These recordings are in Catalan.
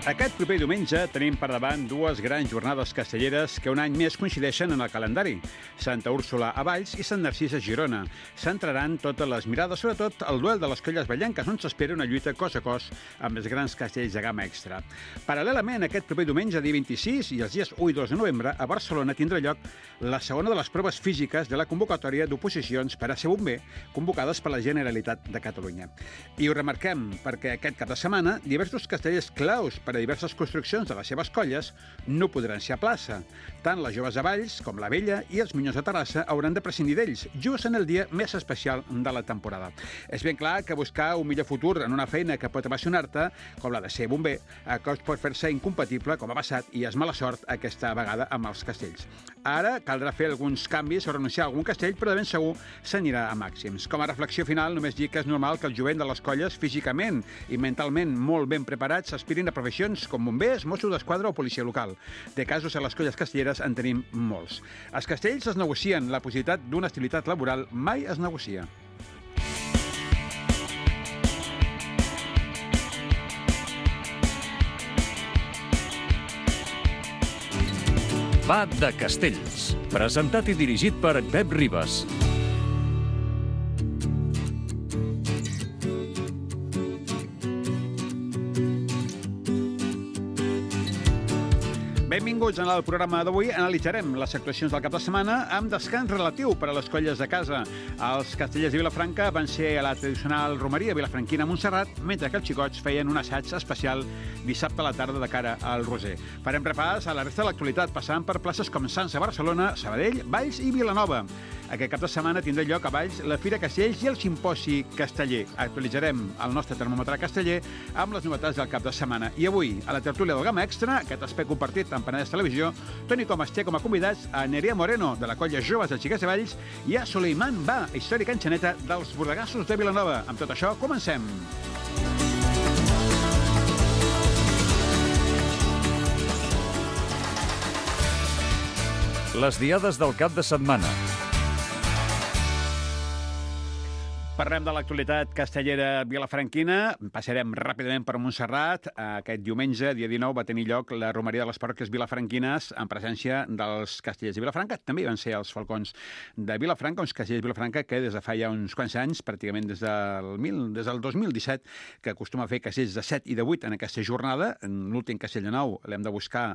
Aquest proper diumenge tenim per davant dues grans jornades castelleres que un any més coincideixen en el calendari. Santa Úrsula a Valls i Sant Narcís a Girona. Centraran totes les mirades, sobretot el duel de les colles vallenques, on s'espera una lluita cos a cos amb els grans castells de gamma extra. Paral·lelament, aquest proper diumenge, dia 26, i els dies 1 i 2 de novembre, a Barcelona tindrà lloc la segona de les proves físiques de la convocatòria d'oposicions per a ser bomber, convocades per la Generalitat de Catalunya. I ho remarquem perquè aquest cap de setmana diversos castellers claus per a diverses construccions de les seves colles no podran ser a plaça. Tant les joves de Valls com la Vella i els Minyons de Terrassa hauran de prescindir d'ells, just en el dia més especial de la temporada. És ben clar que buscar un millor futur en una feina que pot apassionar-te, com la de ser bomber, que pot fer-se incompatible, com ha passat, i és mala sort aquesta vegada amb els castells. Ara caldrà fer alguns canvis o renunciar a algun castell, però de ben segur s'anirà a màxims. Com a reflexió final, només dir que és normal que el jovent de les colles, físicament i mentalment molt ben preparats, s'aspirin a professions com bombers, Mossos d'Esquadra o policia local. De casos a les colles castelleres en tenim molts. Els castells es negocien, la possibilitat d'una estabilitat laboral mai es negocia. Va de Castells, presentat i dirigit per Pep Ribas. Benvinguts al programa d'avui. Analitzarem les actuacions del cap de setmana amb descans relatiu per a les colles de casa. Els castellers de Vilafranca van ser a la tradicional romeria vilafranquina a Montserrat, mentre que els xicots feien un assaig especial dissabte a la tarda de cara al Roser. Farem repàs a la resta de l'actualitat, passant per places com Sants a Barcelona, Sabadell, Valls i Vilanova. Aquest cap de setmana tindrà lloc a Valls la Fira Castells i el Simposi Casteller. Actualitzarem el nostre termòmetre casteller amb les novetats del cap de setmana. I avui, a la tertúlia del Gamma Extra, aquest espai compartit amb Penedès Televisió, Toni Comas té com a convidats a Nerea Moreno, de la colla Joves de Xiquets de Valls, i a Suleiman Ba, històrica enxaneta dels Bordegassos de Vilanova. Amb tot això, comencem! Les diades del cap de setmana. Parlem de l'actualitat castellera vilafranquina. Passarem ràpidament per Montserrat. Aquest diumenge, dia 19, va tenir lloc la romeria de les parròquies vilafranquines en presència dels castellers de Vilafranca. També van ser els falcons de Vilafranca, uns castellers de Vilafranca que des de fa ja uns quants anys, pràcticament des del 2017, que acostuma a fer castells de 7 i de 8 en aquesta jornada. L'últim castell de 9 l'hem de buscar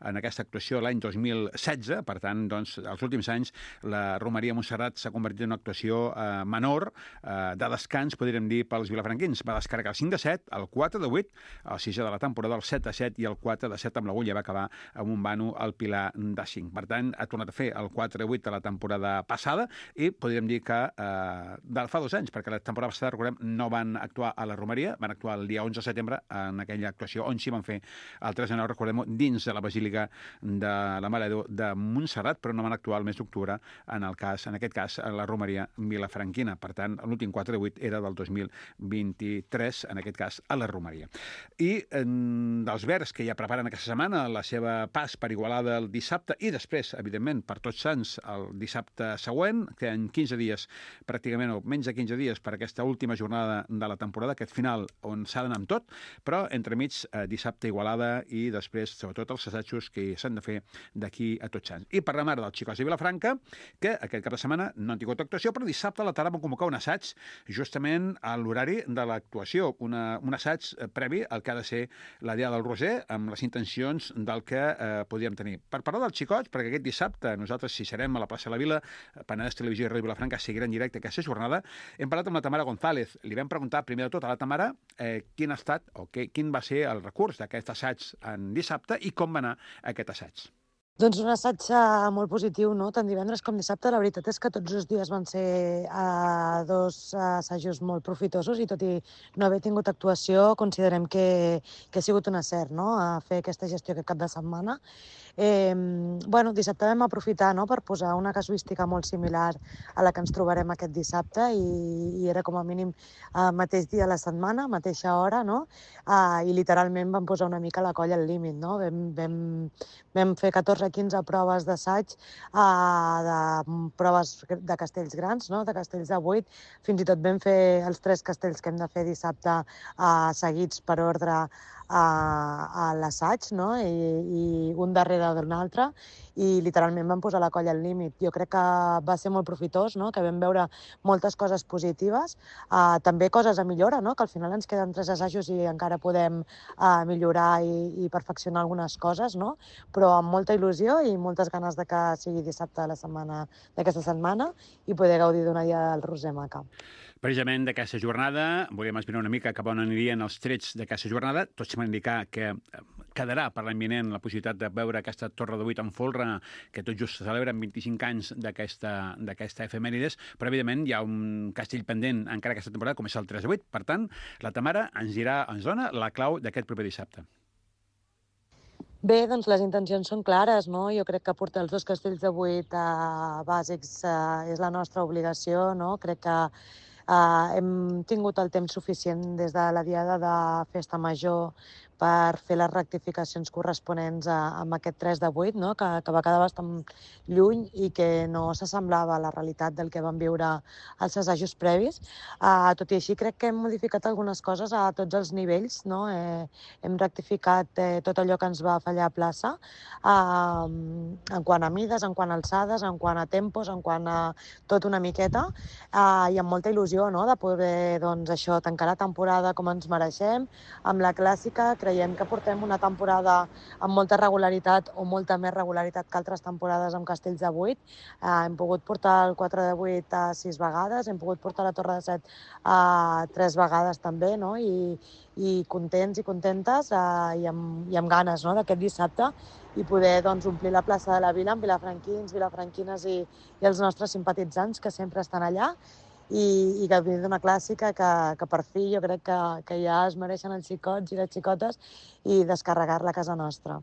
en aquesta actuació l'any 2016. Per tant, doncs, els últims anys la romeria de Montserrat s'ha convertit en una actuació menor, de descans, podríem dir, pels vilafranquins. Va descarregar el 5 de 7, el 4 de 8, el 6 de la temporada, el 7 de 7 i el 4 de 7 amb l'agulla va acabar amb un vano al Pilar de 5. Per tant, ha tornat a fer el 4 de 8 de la temporada passada i podríem dir que fa 2 anys, perquè la temporada passada, recordem, no van actuar a la romeria, van actuar el dia 11 de setembre en aquella actuació on sí van fer el 3 de 9, recordem, dins de la Basílica de la Mare de Déu de Montserrat, però no van actuar el mes d'octubre en aquest cas, a la romeria vilafranquina. Per tant, l'últim 4 de 8 era del 2023, en aquest cas, a la romeria. I dels Verds, que ja preparen aquesta setmana la seva pas per Igualada el dissabte i després, evidentment, per Tots Sants el dissabte següent, que en 15 dies, pràcticament, o menys de 15 dies, per aquesta última jornada de la temporada, aquest final on s'ha d'anar amb tot, però entremig dissabte Igualada i després, sobretot, els assajos que s'han de fer d'aquí a Tots Sants. I parlem ara dels xicots de Vilafranca, que aquest cap de setmana no han tingut actuació, però dissabte a la tarda van convocar un assaig justament a l'horari de l'actuació, un assaig previ al que ha de ser la Dia del Roser, amb les intencions del que podríem tenir. Per parlar dels xicots, perquè aquest dissabte nosaltres, si serem a la plaça de la Vila, Penedès Televisió i Ràdio Vilafranca seguirà en directe aquesta jornada, hem parlat amb la Tamara González. Li vam preguntar primer de tot a la Tamara quin ha estat o quin va ser el recurs d'aquest assaig en dissabte i com va anar aquest assaig. Doncs un assaig molt positiu, no? Tant divendres com dissabte. La veritat és que tots els dies van ser dos assajos molt profitosos i tot i no haver tingut actuació, considerem que ha sigut un encert, no?, a fer aquesta gestió aquest cap de setmana. Bueno, dissabte vam aprofitar, no?, per posar una casuística molt similar a la que ens trobarem aquest dissabte i era com a mínim mateix dia de la setmana, mateixa hora, no? I literalment vam posar una mica la colla al límit, no? Vam fer 14-15 proves d'assaig, de proves de castells grans, no?, de castells de 8. Fins i tot vam fer els 3 castells que hem de fer dissabte seguits per ordre a l'assaig, no?, i un darrere de l'altre, i literalment vam posar la colla al límit. Jo crec que va ser molt profitós, no?, que vam veure moltes coses positives, també coses a millora, no?, que al final ens queden 3 assajos i encara podem millorar i perfeccionar algunes coses, no?, però amb molta il·lusió i moltes ganes de que sigui dissabte de la setmana d'aquesta setmana i poder gaudir d'una dia del Roser Maca. Precisament d'aquesta jornada, volíem esbrinar una mica cap on anirien els trets d'aquesta jornada. Tots van indicar que quedarà per l'any vinent la possibilitat de veure aquesta Torre de 8 en folre, que tot just celebren 25 anys d'aquesta efemèrides, però evidentment hi ha un castell pendent encara aquesta temporada, com és el 3 de 8. Per tant, la Tamara ens dona la clau d'aquest proper dissabte. Bé, doncs les intencions són clares, no? Jo crec que portar els 2 castells de 8 bàsics és la nostra obligació, no? Crec que hem tingut el temps suficient des de la diada de Festa Major per fer les rectificacions corresponents amb aquest 3 de 8, no?, que va quedar bastant lluny i que no s'assemblava a la realitat del que vam viure als assajos previs. Tot i així, crec que hem modificat algunes coses a tots els nivells, no? Hem rectificat tot allò que ens va fallar a plaça, en quant a mides, en quant a alçades, en quant a tempos, en quant a tot una miqueta, i amb molta il·lusió, no?, de poder, doncs, això, tancar la temporada com ens mereixem, amb la clàssica. Creiem que portem una temporada amb molta regularitat o molta més regularitat que altres temporades amb castells de 8. Hem pogut portar el 4 de 8 6 vegades, hem pogut portar la Torre de 7 3 vegades també, no? I contents i contentes i amb ganes, no?, d'aquest dissabte i poder, doncs, omplir la plaça de la Vila amb vilafranquins, vilafranquines i els nostres simpatitzants que sempre estan allà i gaudir d'una clàssica que per fi jo crec que ja es mereixen els xicots i les xicotes i descarregar-la a casa nostra.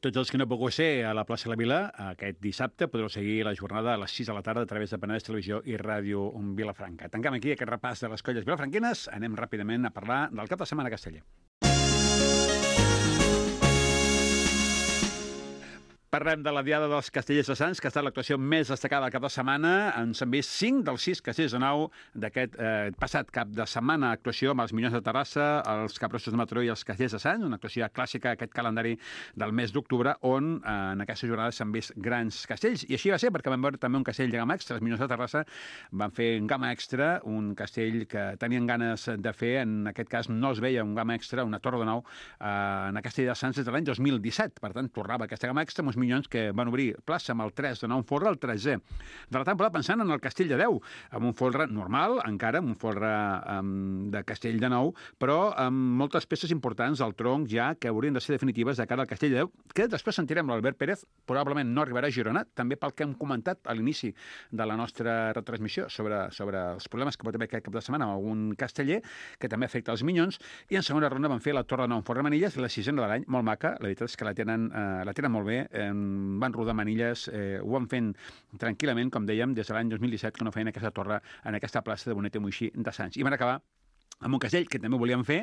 Tots els que no pugueu ser a la plaça de la Vila aquest dissabte podreu seguir la jornada a les 6 de la tarda a través de Penedès Televisió i Ràdio Vilafranca. Tanquem aquí aquest repàs de les colles vilafranquines. Anem ràpidament a parlar del cap de setmana casteller. Parlem de la Diada dels Castellers de Sants, que ha estat l'actuació més destacada del cap de setmana. Ens han vist 5 dels 6 castells de nau d'aquest passat cap de setmana. Actuació amb els Minyons de Terrassa, els Capgrossos de Mataró i els Castellers de Sants, una actuació clàssica aquest calendari del mes d'octubre, on en aquesta jornada s'han vist grans castells. I així va ser, perquè vam veure també un castell de gamma extra. Els Minyons de Terrassa van fer un gamma extra, un castell que tenien ganes de fer. En aquest cas no es veia un gamma extra, una torre de nau, en el Castell de Sants des de l'any 2017. Per tant, tornava aquesta gamma extra amb uns Minyons que van obrir plaça amb el 3 de nou, un folre, el 3è de la temporada, pensant en el Castell de 10, amb un folre normal, encara, amb un folre de Castell de nou, però amb moltes peces importants al tronc ja que haurien de ser definitives de cara al Castell de 10, que després sentirem l'Albert Pérez, probablement no arribarà a Girona, també pel que hem comentat a l'inici de la nostra retransmissió sobre els problemes que pot haver aquest cap de setmana amb algun casteller, que també afecta els Minyons, i en segona ronda van fer la Torre de Nou en folre manilles, la 6a de l'any, molt maca, la veritat és que la tenen molt bé, van rodar manilles, ho van fent tranquil·lament, com dèiem, des de l'any 2017, que no feien aquesta torre en aquesta plaça de Bonet i Moixí de Sants. I van acabar amb un castell que també volíem fer,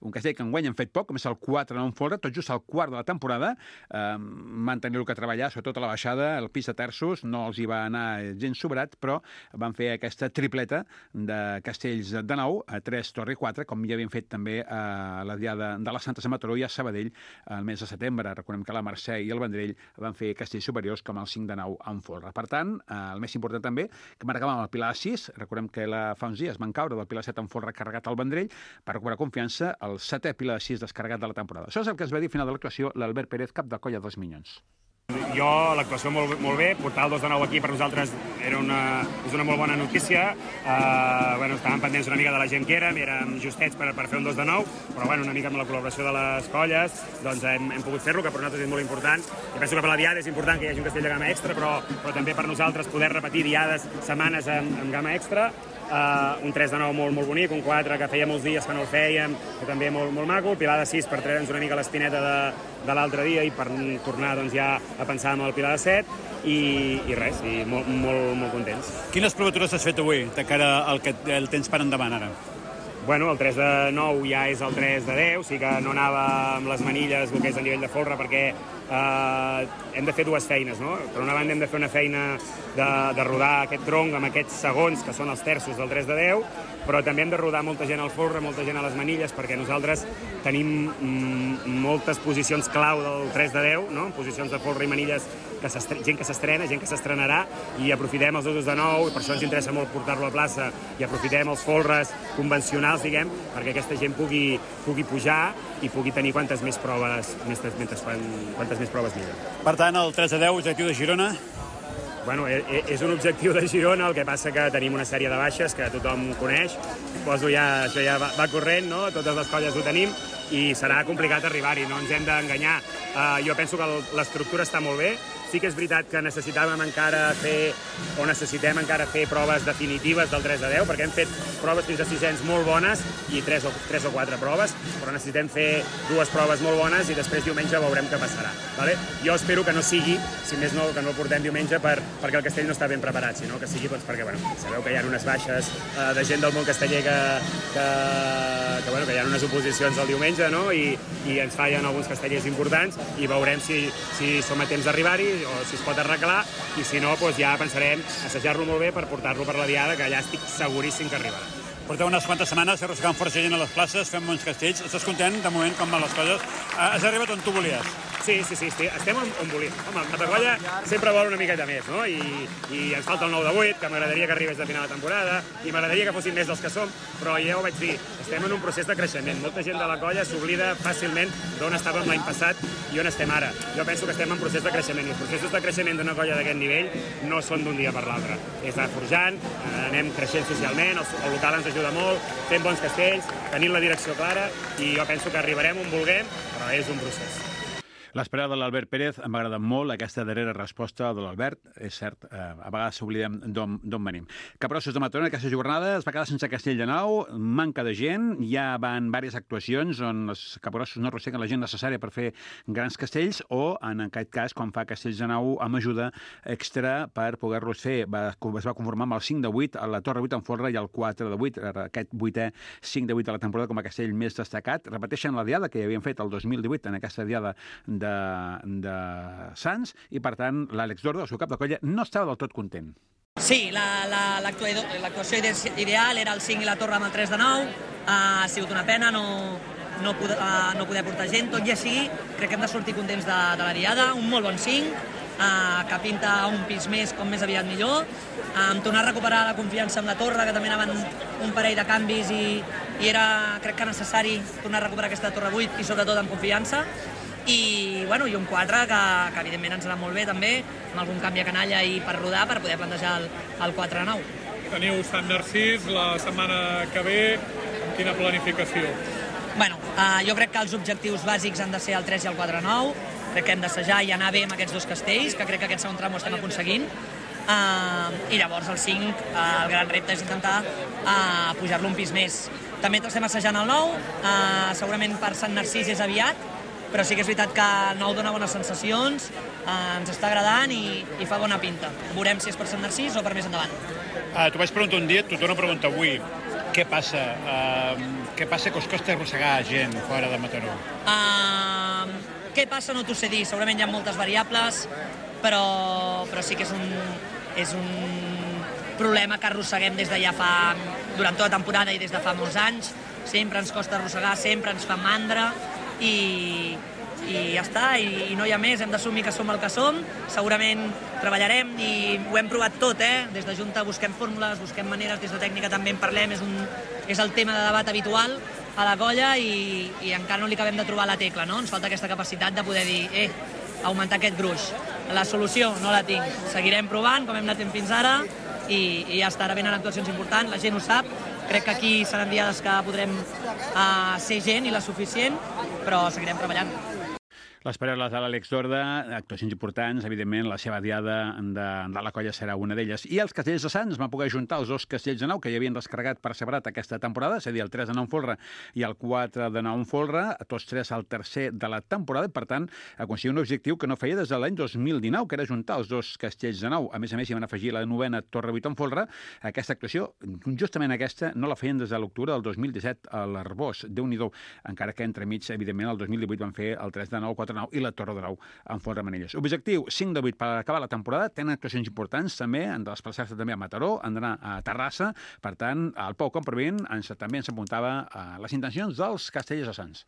un castell que enguany hem fet poc, com és el 4 de nou en folre, tot just al quart de la temporada. Van tenir que treballar, sobretot a la baixada, el pis de terços, no els hi va anar gens sobrat, però van fer aquesta tripleta de castells de nou, a 3, Torre i 4, com ja havien fet també a la Diada de la Santa de Mataró i a Sabadell el mes de setembre. Recordem que la Mercè i el Vendrell van fer castells superiors com el 5 de nou en folre. Per tant, el més important també, que marcàvem el Pilar 6, recordem que fa uns dies van caure del Pilar 7 en folre carregat al Vendrell per recuperar confiança, el 7è Pilar 6 descarregat de la temporada. Això és el que es va dir al final de l'actuació l'Albert Pérez, cap de colla dels Minyons. Jo, l'actuació molt bé, portar el 2 de 9 aquí per nosaltres és una molt bona notícia. Estàvem pendents una mica de la gent que érem justets per fer un 2 de 9, però una mica amb la col·laboració de les colles doncs hem pogut fer-lo, que per nosaltres és molt important. I penso que per la Diada és important que hi hagi un castell de gamma extra, però també per nosaltres poder repetir diades, setmanes amb gamma extra. Un 3 de 9 molt bonic, un 4 que feia molts dies que no el fèiem, que també molt maco, el Pilar de 6 per treure'ns una mica l'espineta de l'altre dia i per tornar doncs, ja a pensar en el Pilar de Set i res, i molt contents. Quines provatures has fet avui, de cara al que el tens per endavant ara? Bueno, el 3 de 9 ja és el 3 de 10, sí que no anava amb les manilles el que és a nivell de folre perquè hem de fer dues feines, no? Per una banda hem de fer una feina de rodar aquest tronc amb aquests segons, que són els terços del 3 de 10, però també hem de rodar molta gent al folre, molta gent a les manilles, perquè nosaltres tenim moltes posicions clau del 3 de 10, no? Posicions de folre i manilles, gent que s'estrena, gent que s'estrenarà, i aprofitem els 2 de 9, i per això ens interessa molt portar-lo a plaça, i aprofitem els folres convencionals, diguem, perquè aquesta gent pugui pujar i pugui tenir quantes més proves millor. Per tant, el 3 de 10, objectiu de Girona? Bueno, és un objectiu de Girona, el que passa que tenim una sèrie de baixes que tothom coneix. Això ja va corrent, no? Totes les colles ho tenim i serà complicat arribar-hi, no ens hem d'enganyar. Jo penso que l'estructura està molt bé. Sí que és veritat que necessitem encara fer proves definitives del 3 de 10, perquè hem fet proves fins a 600 molt bones i 3 o 4 proves, però necessitem fer 2 proves molt bones i després diumenge veurem què passarà. Vale? Jo espero que no sigui, si més no, que no el portem diumenge perquè el castell no està ben preparat, sinó que sigui perquè sabeu que hi ha unes baixes de gent del món casteller que hi ha unes oposicions el diumenge, no? I ens fallen alguns castellers importants i veurem si som a temps d'arribar-hi o si es pot arreglar, i si no, doncs ja pensarem assajar-lo molt bé per portar-lo per la diada, que allà estic seguríssim que arribarà. Porteu unes quantes setmanes arrossegant força gent a les places, fent bons castells. Estàs content, de moment, com van les coses? Has arribat on tu volies? Sí, estem on volíem. Home, el Matacolla sempre vol una miqueta més, no? I ens falta el 9 de 8, que m'agradaria que arribés de final de temporada, i m'agradaria que fossin més dels que som, però ja ho vaig dir, estem en un procés de creixement. Molta gent de la colla s'oblida fàcilment d'on estàvem l'any passat i on estem ara. Jo penso que estem en procés de creixement, i els processos de creixement d'una colla d'aquest nivell no són d'un dia per l'altre. És anar forjant, anem creixent socialment, el local ens ajuda molt, fent bons castells, tenint la direcció clara, i jo penso que arribarem on vulguem, però és un procés. L'esperada de l'Albert Pérez m'ha agradat molt, aquesta darrera resposta de l'Albert. És cert, a vegades s'oblidem d'on venim. Capgrossos de Mataró, aquesta jornada es va quedar sense castell de nou, manca de gent, ja van diverses actuacions on els capgrossos no arrosseguen la gent necessària per fer grans castells, o, en aquest cas, quan fa castells de nou, amb ajuda extra per poder-los fer. Es va conformar amb el 5 de 8 a la Torre 8 en folre i el 4 de 8, aquest 8è 5 de 8 de la temporada com a castell més destacat. Repeteixen la diada que ja havien fet el 2018 en aquesta diada de Sants, i per tant l'Àlex Dordo, el seu cap de colla, no estava del tot content. Sí, l'actuació ideal era el 5 i la torre amb el 3 de 9. Ha sigut una pena no poder portar gent, tot i així crec que hem de sortir contents de la diada. Un molt bon 5, que pinta un pis més, com més aviat millor, tornar a recuperar la confiança amb la torre, que també anaven un parell de canvis i era, crec que necessari tornar a recuperar aquesta torre 8 i sobretot amb confiança. I un 4 que evidentment ens anà molt bé també, amb algun canvi a canalla i per rodar, per poder plantejar el 4 a 9. Teniu Sant Narcís la setmana que ve, amb quina planificació? Jo crec que els objectius bàsics han de ser el 3 i el 4 a 9, crec que hem d'assajar i anar bé amb aquests 2 castells, que crec que aquest segon tram ho estem aconseguint, i llavors el 5, el gran repte és intentar pujar-lo un pis més. També estem assajant el 9, segurament per Sant Narcís és aviat, però sí que és veritat que el 9 dona bones sensacions, ens està agradant i fa bona pinta. Veurem si és per Sant Narcís o per més endavant. T'ho vaig preguntar un dia, t'ho torno a preguntar avui. Què passa? Què passa que us costa arrossegar gent fora de Mataró? Què passa no t'ho sé dir, segurament hi ha moltes variables, però sí que és un problema que arrosseguem des de ja durant tota la temporada i des de fa molts anys. Sempre ens costa arrossegar, sempre ens fa mandra, i ja està, i no hi ha més, hem d'assumir que som el que som, segurament treballarem i ho hem provat tot, des de Junta busquem fórmules, busquem maneres, des de tècnica també en parlem, és el tema de debat habitual a la colla i encara no li acabem de trobar la tecla, no? Ens falta aquesta capacitat de poder dir, augmentar aquest gruix. La solució no la tinc, seguirem provant com hem anat fins ara i ja està, ara venen actuacions importants, la gent ho sap. Crec que aquí seran diades que podrem ser gent i la suficient, però seguirem treballant. Les paraules de l'Àlex Dorda, actuacions importants, evidentment, la seva diada de la colla serà una d'elles. I els castells de Sants van poder juntar els dos castells de Nou que hi havien descarregat per separat aquesta temporada, és a dir, el 3 de Nou en folre i el 4 de Nou en folre, tots tres al tercer de la temporada, i per tant, aconseguir un objectiu que no feia des de l'any 2019, que era juntar els dos castells de Nou. A més, hi van afegir la novena Torre 8 en folre. Aquesta actuació, justament aquesta, no la feien des de l'octubre del 2017 a l'Arbós. Déu-n'hi-do, encara que entremig, evidentment, el 2018 van fer el 3 de Nou, 4 de Nou i la Torre de Nou en folre Manilles. Objectiu, 5 de 8 per acabar la temporada. Tenen actuacions importants també, han de desplaçar-se també a Mataró, han d'anar a Terrassa. Per tant, el Pau Compravent també ens apuntava a les intencions dels castellers de Sants.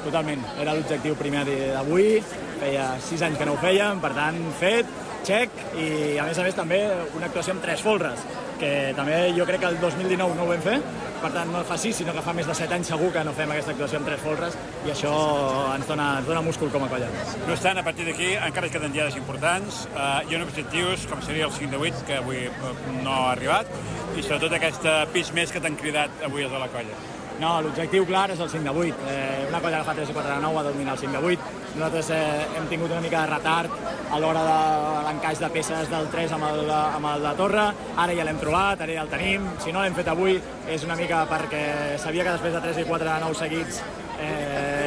Totalment, era l'objectiu primer d'avui, feia 6 anys que no ho fèiem, per tant, fet, check, i a més també una actuació amb 3 folres, que també jo crec que el 2019 no ho vam fer, per tant no fa 6, sinó que fa més de 7 anys segur que no fem aquesta actuació amb 3 folres, i això ens dona múscul com a colla. No obstant, a partir d'aquí encara es queden diades importants, hi ha objectius com seria el 5 de 8, que avui no ha arribat, i sobretot aquest pis més que t'han cridat avui els de la colla. No, l'objectiu clar és el 5 de 8. Una colla que fa 3 i 4 de 9 va dominar el 5 de 8. Nosaltres hem tingut una mica de retard a l'hora de l'encaix de peces del 3 amb el de Torre. Ara ja l'hem trobat, ara ja el tenim. Si no l'hem fet avui és una mica perquè sabia que després de 3 i 4 de 9 seguits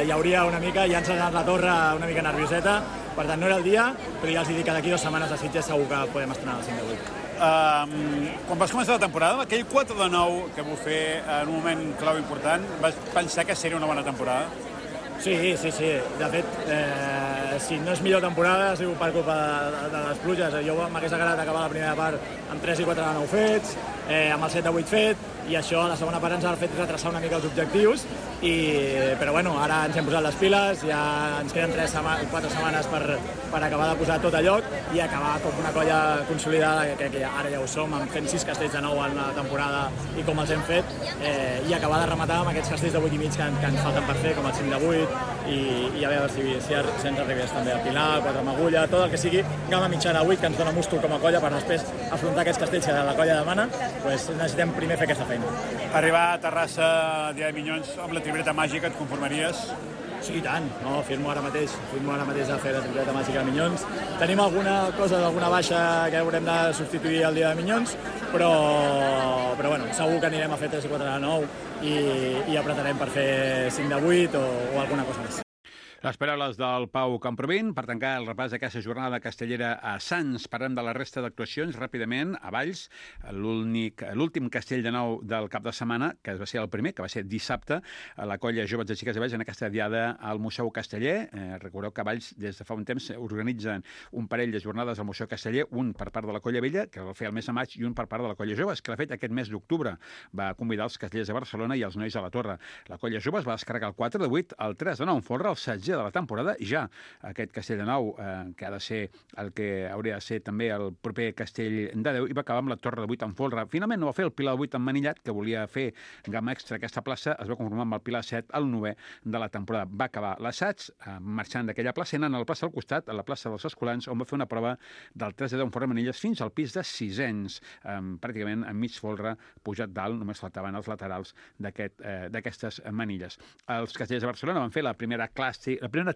hi hauria una mica, ja ens ha anat la Torre una mica nervioseta. Per tant, no era el dia, però ja els dic que d'aquí 2 setmanes a Sitges segur que podem estrenar el 5 de 8. Quan vas començar la temporada, aquell 4 de 9 que vau fer en un moment clau important, vas pensar que seria una bona temporada? Sí. De fet, si no és millor temporada, ha sigut per culpa de les pluges. Jo m'hagués agradat acabar la primera part amb 3 i 4 de 9 fets, amb el 7 de 8 fet, i això a la segona part ens ha fet retrasar una mica els objectius, però bueno, ara ens hem posat les piles, ja ens queden 4 setmanes per acabar de posar tot a lloc i acabar com una colla consolidada, que ara ja ho som, fent 6 castells de 9 en la temporada i com els hem fet, i acabar de rematar amb aquests castells de 8 i mig que ens falten per fer, com el 5 de 8, i a veure si ens arribés també a Pilar, 4 amb agulla, tot el que sigui gamma mitjana 8, que ens dona múscul com a colla per després afrontar aquests castells que la colla demana, doncs necessitem primer fer aquesta feina. Arribar a Terrassa dia de Minyons amb la tripleta màgica, et conformaries? Sí, i tant. No, firmo ara mateix a fer la tripleta màgica de Minyons. Tenim alguna cosa d'alguna baixa que haurem de substituir el dia de Minyons, però bueno, segur que anirem a fer 3 i 4 de 9 i apretarem per fer 5 de 8 o alguna cosa més. Les paraules del Pau Compravent per tancar el repàs d'aquesta jornada castellera a Sants. Parlem de la resta d'actuacions ràpidament. A Valls, l'últim castell de Nou del cap de setmana, que va ser el primer, que va ser dissabte, a la colla Joves de Xiques de Valls en aquesta diada al Museu Casteller. Recordeu que a Valls des de fa un temps organitzen un parell de jornades al Museu Casteller, un per part de la colla Vella, que va fer el mes de maig, i un per part de la colla Joves, que l'ha fet aquest mes d'octubre. Va convidar els castellers de Barcelona i els nois de la Torre. La colla Joves va descarregar el 4 de 8, el 3 de 9 en folre, el 16 de la temporada, i ja aquest castell de Nou, que ha de ser el que hauria de ser també el proper castell de 10, i va acabar amb la Torre de 8 en folre. Finalment no va fer el Pilar de 8 en Manillat, que volia fer gamma extra aquesta plaça, es va conformar amb el Pilar 7 al 9è de la temporada. Va acabar l'assaig marxant d'aquella plaça, anant a la plaça al costat, a la plaça dels Escolans, on va fer una prova del 3 de 10 en folre Manilles fins al pis de 600, pràcticament en mig folre, pujat dalt, només faltaven els laterals d'aquestes manilles. Els castellers de Barcelona van fer la primera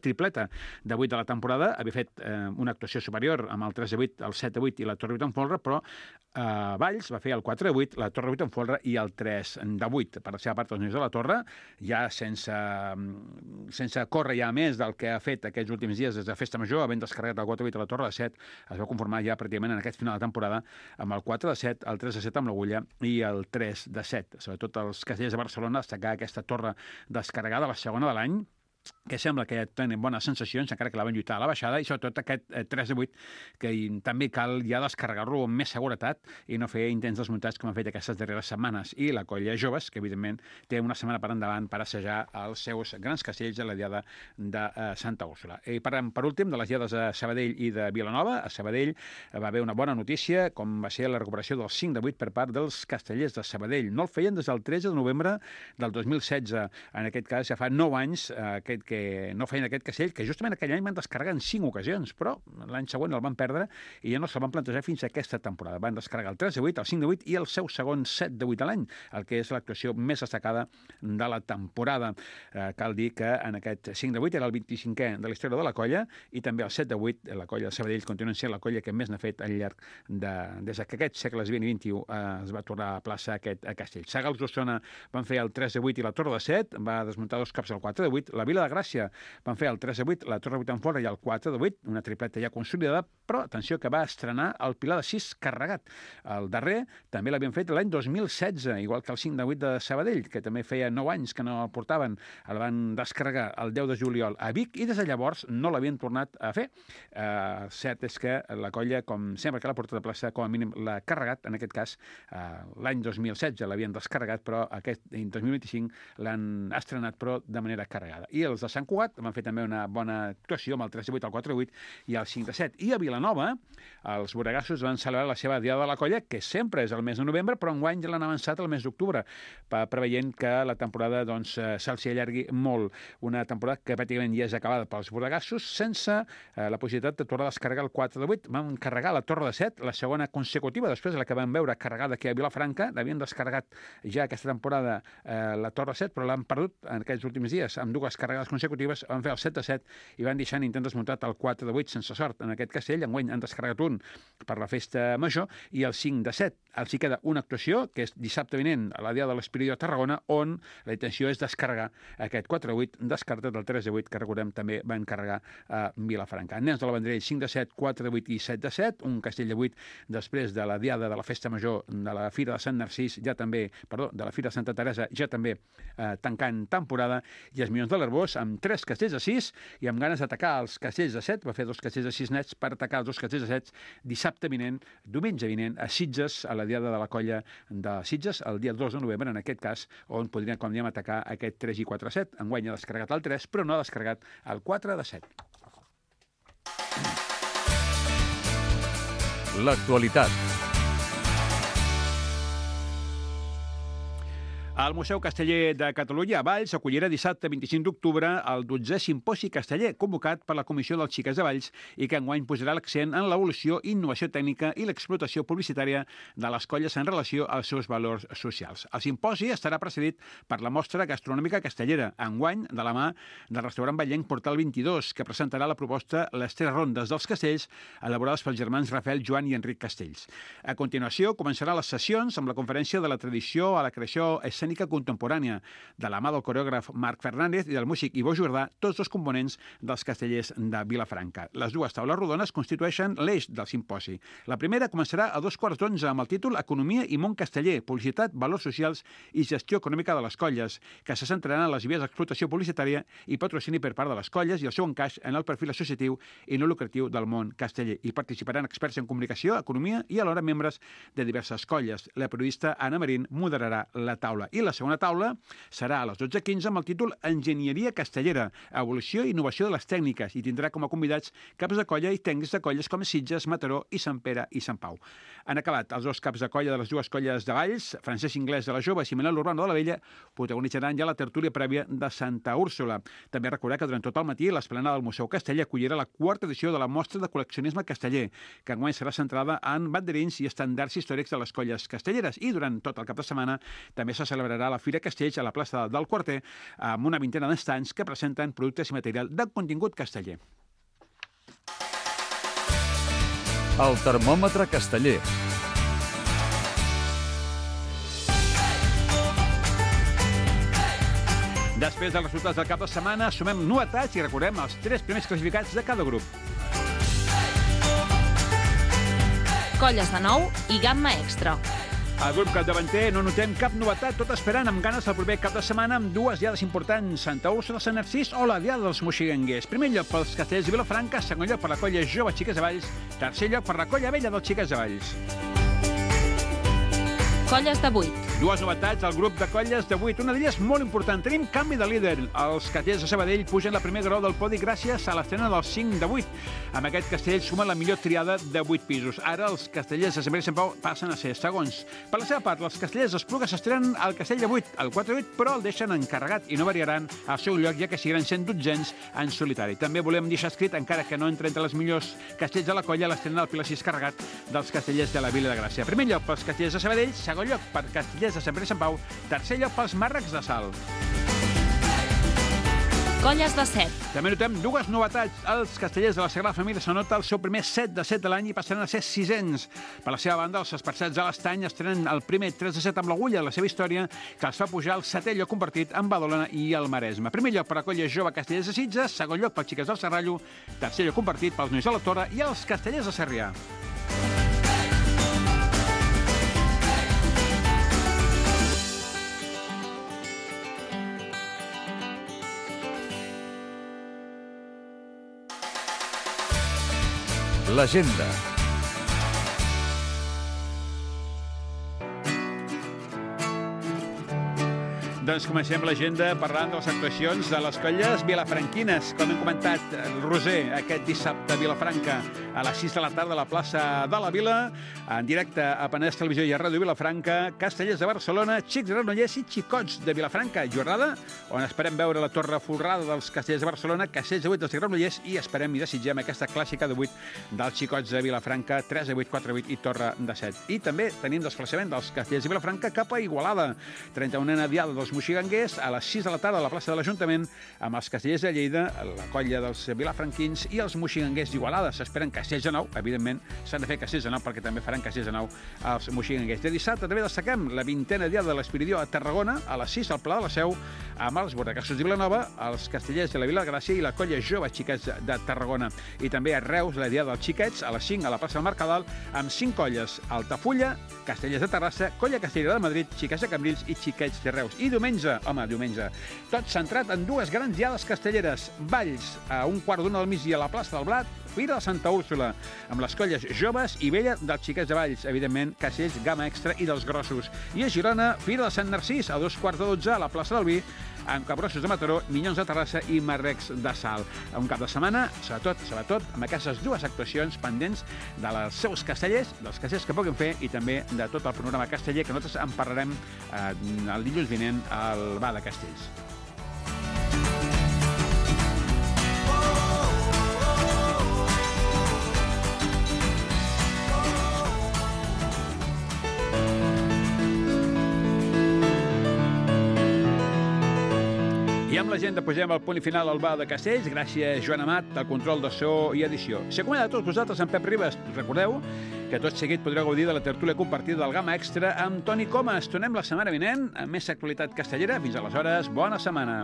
tripleta de 8 de la temporada, havia fet una actuació superior amb el 3 de 8, el 7 de 8 i la Torre 8 en folre, però Valls va fer el 4 de 8, la Torre 8 en folre i el 3 de 8. Per la seva part, els nois de la Torre, ja sense córrer ja més del que ha fet aquests últims dies des de Festa Major, havent descarregat el 4 de 8 a la Torre de 7, es va conformar ja pràcticament en aquest final de temporada amb el 4 de 7, el 3 de 7 amb l'agulla i el 3 de 7. Sobretot els castellers de Barcelona, destacar aquesta torre descarregada, la segona de l'any, que sembla que tenen bones sensacions, encara que la van lluitar a la baixada, i sobretot aquest 3 de 8, que també cal ja descarregar-lo amb més seguretat i no fer intents desmuntats com han fet aquestes darreres setmanes. I la colla Joves, que evidentment té una setmana per endavant per assajar els seus grans castells a la diada de Santa Úrsula. I parlem per últim de les diades a Sabadell i de Vilanova. A Sabadell va haver una bona notícia, com va ser la recuperació del 5 de 8 per part dels castellers de Sabadell. No el feien des del 13 de novembre del 2016. En aquest cas ja fa 9 anys que que no feien aquest castell, que justament aquell any van descarregar en 5 ocasions, però l'any següent el van perdre i ja no se'l van plantejar fins a aquesta temporada. Van descarregar el 3 de 8, el 5 de 8 i el seu segon 7 de 8 a l'any, el que és l'actuació més destacada de la temporada. Cal dir que en aquest 5 de 8 era el 25è de la història de la colla i també el 7 de 8, la colla de Sabadell continua sent la colla que més n'ha fet al llarg des que aquests segles 20 i 21 es va tornar a plaça aquest castell. Sagals d'Osona van fer el 3 de 8 i la Torre de 7, va desmuntar 2 cops el 4 de 8. La Vila de Gràcia van fer el 3 de 8, la Torre de 8 en fora i el 4 de 8, una tripleta ja consolidada, però atenció que va estrenar el Pilar de 6 carregat. El darrer també l'havien fet l'any 2016, igual que el 5 de 8 de Sabadell, que també feia 9 anys que no el portaven. El van descarregar el 10 de juliol a Vic i des de llavors no l'havien tornat a fer. Cert és que la colla, com sempre que la porta de plaça, com a mínim l'ha carregat, en aquest cas l'any 2016 l'havien descarregat, però aquest 2025 l'han estrenat, però de manera carregada. I els de Sant Cugat van fer també una bona actuació amb el 3 de 8, el 4 de 8 i el 5 de 7. I a Vilanova, els boregassos van celebrar la seva diada de la colla, que sempre és el mes de novembre, però enguany ja l'han avançat al mes d'octubre, preveient que la temporada se'ls allargui molt. Una temporada que pràcticament ja és acabada pels boregassos, sense la possibilitat de tornar a descarregar el 4 de 8. Van carregar la Torre de 7, la segona consecutiva, després de la que vam veure carregada aquí a Vilafranca. L'havien descarregat ja aquesta temporada la Torre 7, però l'han perdut en aquests últims dies amb 2 carregades consecutives. Van fer el 7 de 7 i van deixar intent desmuntat el 4 de 8 sense sort en aquest castell. Enguany han descarregat un per la festa major i el 5 de 7. Els hi queda una actuació, que és dissabte vinent a la Diada de l'Espiridó a Tarragona, on la intenció és descarregar aquest 4 de 8, descartat el 3 de 8, que recordem també van carregar a Vilafranca. Nens de la Vendrell, 5 de 7, 4 de 8 i 7 de 7, un castell de 8 després de la Diada de la Festa Major de la Fira de Sant Narcís, de la Fira de Santa Teresa, ja també tancant temporada, i els Minyons de l'Arbós amb 3 castells de 6 i amb ganes d'atacar els castells de 7, va fer 2 castells de 6 nets per atacar els 2 castells de 7 dissabte vinent, diumenge vinent, a Sitges, a la Diada de la Colla de Sitges, el dia 2 de novembre, en aquest cas, on podrien, com diem, atacar aquest 3 i 4 de 7. Enguany ha descarregat el 3, però no ha descarregat el 4 de 7. L'actualitat. El Museu Casteller de Catalunya a Valls acollirà dissabte 25 d'octubre el 12è Simposi Casteller, convocat per la Comissió dels Xiques de Valls i que enguany posarà l'accent en l'evolució, innovació tècnica i l'explotació publicitària de les colles en relació als seus valors socials. El simposi estarà precedit per la mostra gastronòmica castellera, enguany de la mà del restaurant vallenc Portal 22, que presentarà la proposta Les 3 rondes dels castells, elaborades pels germans Rafael, Joan i Enric Castells. A continuació, començaran les sessions amb la conferència de la tradició a la creació escènica contemporània, de la mà del coreògraf Marc Fernández i del músic Ivo Jordà, tots 2 components dels castellers de Vilafranca. Les 2 taules rodones constitueixen l'eix del simposi. La primera començarà a 2:15 amb el títol Economia i món casteller, publicitat, valors socials i gestió econòmica de les colles, que se centraran en les vies d'explotació publicitària i patrocini per part de les colles i el seu encaix en el perfil associatiu i no lucratiu del món casteller. Hi participaran experts en comunicació, economia i alhora membres de diverses colles. La periodista Anna Marín moderarà la taula. I la segona taula serà a les 12:15 amb el títol Enginyeria castellera, evolució i innovació de les tècniques, i tindrà com a convidats caps de colla i tècnics de colles com Sitges, Mataró i Sant Pere i Sant Pau. Han acabat els 2 caps de colla de les 2 colles de Valls, Francesc Inglés de la Jove i Manel Urbano de la Vella, protagonitzaran ja la tertúlia prèvia de Santa Úrsula. També recordar que durant tot el matí l'esplanada del Museu Casteller acollirà la 4ª edició de la mostra de col·leccionisme casteller, que enguany serà centrada en banderins i estandards històrics de les colles castelleres, i durant tot el cap de setmana també se celebrarà la Fira Castells a la plaça del Quarter amb una vintena d'estands que presenten productes i material de contingut casteller. El termòmetre casteller. Després dels resultats del cap de setmana, sumem novetats i recordem els 3 primers classificats de cada grup. Colles de nou i gamma extra. Al grup capdavanter no notem cap novetat, tot esperant amb ganes el proper cap de setmana amb 2 diades importants, Santa Úrsula de Sant Narcís o la Diada dels Moixigangers. Primer lloc pels castellers de Vilafranca, segon lloc per la colla jove Xiques de Valls, tercer lloc per la colla vella dels Xiques de Valls. Colles de 8. Dues novetats al grup de colles d'avui. Una d'elles molt important. Tenim canvi de líder. Els castellers de Sabadell pugen la primera grau del podi gràcies a l'estrena del 5 de 8. Amb aquest castell suma la millor triada de 8 pisos. Ara els castellers de Sant Pere i Sant Pau passen a ser segons. Per la seva part, els castellers d'Esplugues s'estrenen al castell de 8, el 4-8, però el deixen encarregat i no variaran al seu lloc, ja que seguiran sent dotzens en solitari. També volem deixar escrit, encara que no entra entre les millors castells de la colla, l'estrena del Pilar 6 carregat dels castellers de la Vila de Gràcia. Primer lloc pels castellers de Sabadell, segon lloc per castellers de Sant Pere i Sant Pau, tercer lloc pels màrrecs de Salt. Colles de 7. També notem dues novetats. Els castellers de la Sagrada Família s'anota el seu primer 7 de 7 de l'any i passaran a ser 600. Per la seva banda, els esparçats de l'Estany estrenen el primer 3 de 7 amb l'Agulla, la seva història, que els fa pujar al 7è lloc compartit amb Badalona i el Maresme. Primer lloc per a colla jove castellers de Sitges, segon lloc pels xiques del Serrallo, tercer lloc compartit pels nois de la Torre i els castellers de Sarrià. L'agenda. Doncs comencem l'agenda parlant de les actuacions de les colles vilafranquines. Com hem comentat, el Roser aquest dissabte a Vilafranca a les 6 de la tarda a la plaça de la Vila, en directe a Penedès Televisió i a Ràdio Vilafranca, Castellers de Barcelona, Xics de Granollers i Xicots de Vilafranca. Jornada on esperem veure la torre folrada dels Castellers de Barcelona, Castellers de 8 dels de Granollers i esperem i desitgem aquesta clàssica de 8 dels Xicots de Vilafranca, 3 de 8, 4 de 8 i torre de 7. I també tenim desplaçament dels Castellers de Vilafranca cap a Igualada. 31a diada dels moxiganguers a les 6 de la tarda a la plaça de l'Ajuntament amb els castellers de Lleida, la colla dels vilafranquins i els moxiganguers d'Igualada. S'esperen castells de nou, evidentment s'han de fer castells de nou perquè també faran castells de nou els moxiganguers. De dissabte també destaquem la 20a diada de l'Espiridió a Tarragona a les 6 al Pla de la Seu amb els Bordacassos de Vilanova, els castellers de la Vila de Gràcia i la colla jove xiquets de Tarragona. I també a Reus la diada dels xiquets a les 5 a la plaça del Mercadal amb 5 colles: Altafulla, Castellers de Terrassa, Colla Castellera de Madrid, Xiquets de Cambrils i Xiquets de Reus. I diumenge, tot centrat en dues grans diades castelleres. Valls, a un quart d'una del migdia a la plaça del Blat, Fira de Santa Úrsula, amb les colles joves i vella dels Xiquets de Valls, evidentment, castells Gamma Extra i dels grossos. I a Girona, Fira de Sant Narcís, a 2:15 a la plaça del Vi, amb Capgrossos de Mataró, Minyons de Terrassa i Marrecs de Salt. Un cap de setmana, sobretot, amb aquestes dues actuacions pendents dels seus castellers, dels castellers que puguin fer i també de tot el panorama casteller, que nosaltres en parlarem el dilluns vinent al Bar de Castells. I amb l'agenda posem el punt i final al Bar de Castells. Gràcies, Joan Amat, del control de so i edició. S'acomanda a tots vosaltres amb Pep Ribas. Recordeu que tot seguit podreu gaudir de la tertúlia compartida del Gamma Extra amb Toni Comas. Tornem la setmana vinent amb més actualitat castellera. Fins aleshores, bona setmana.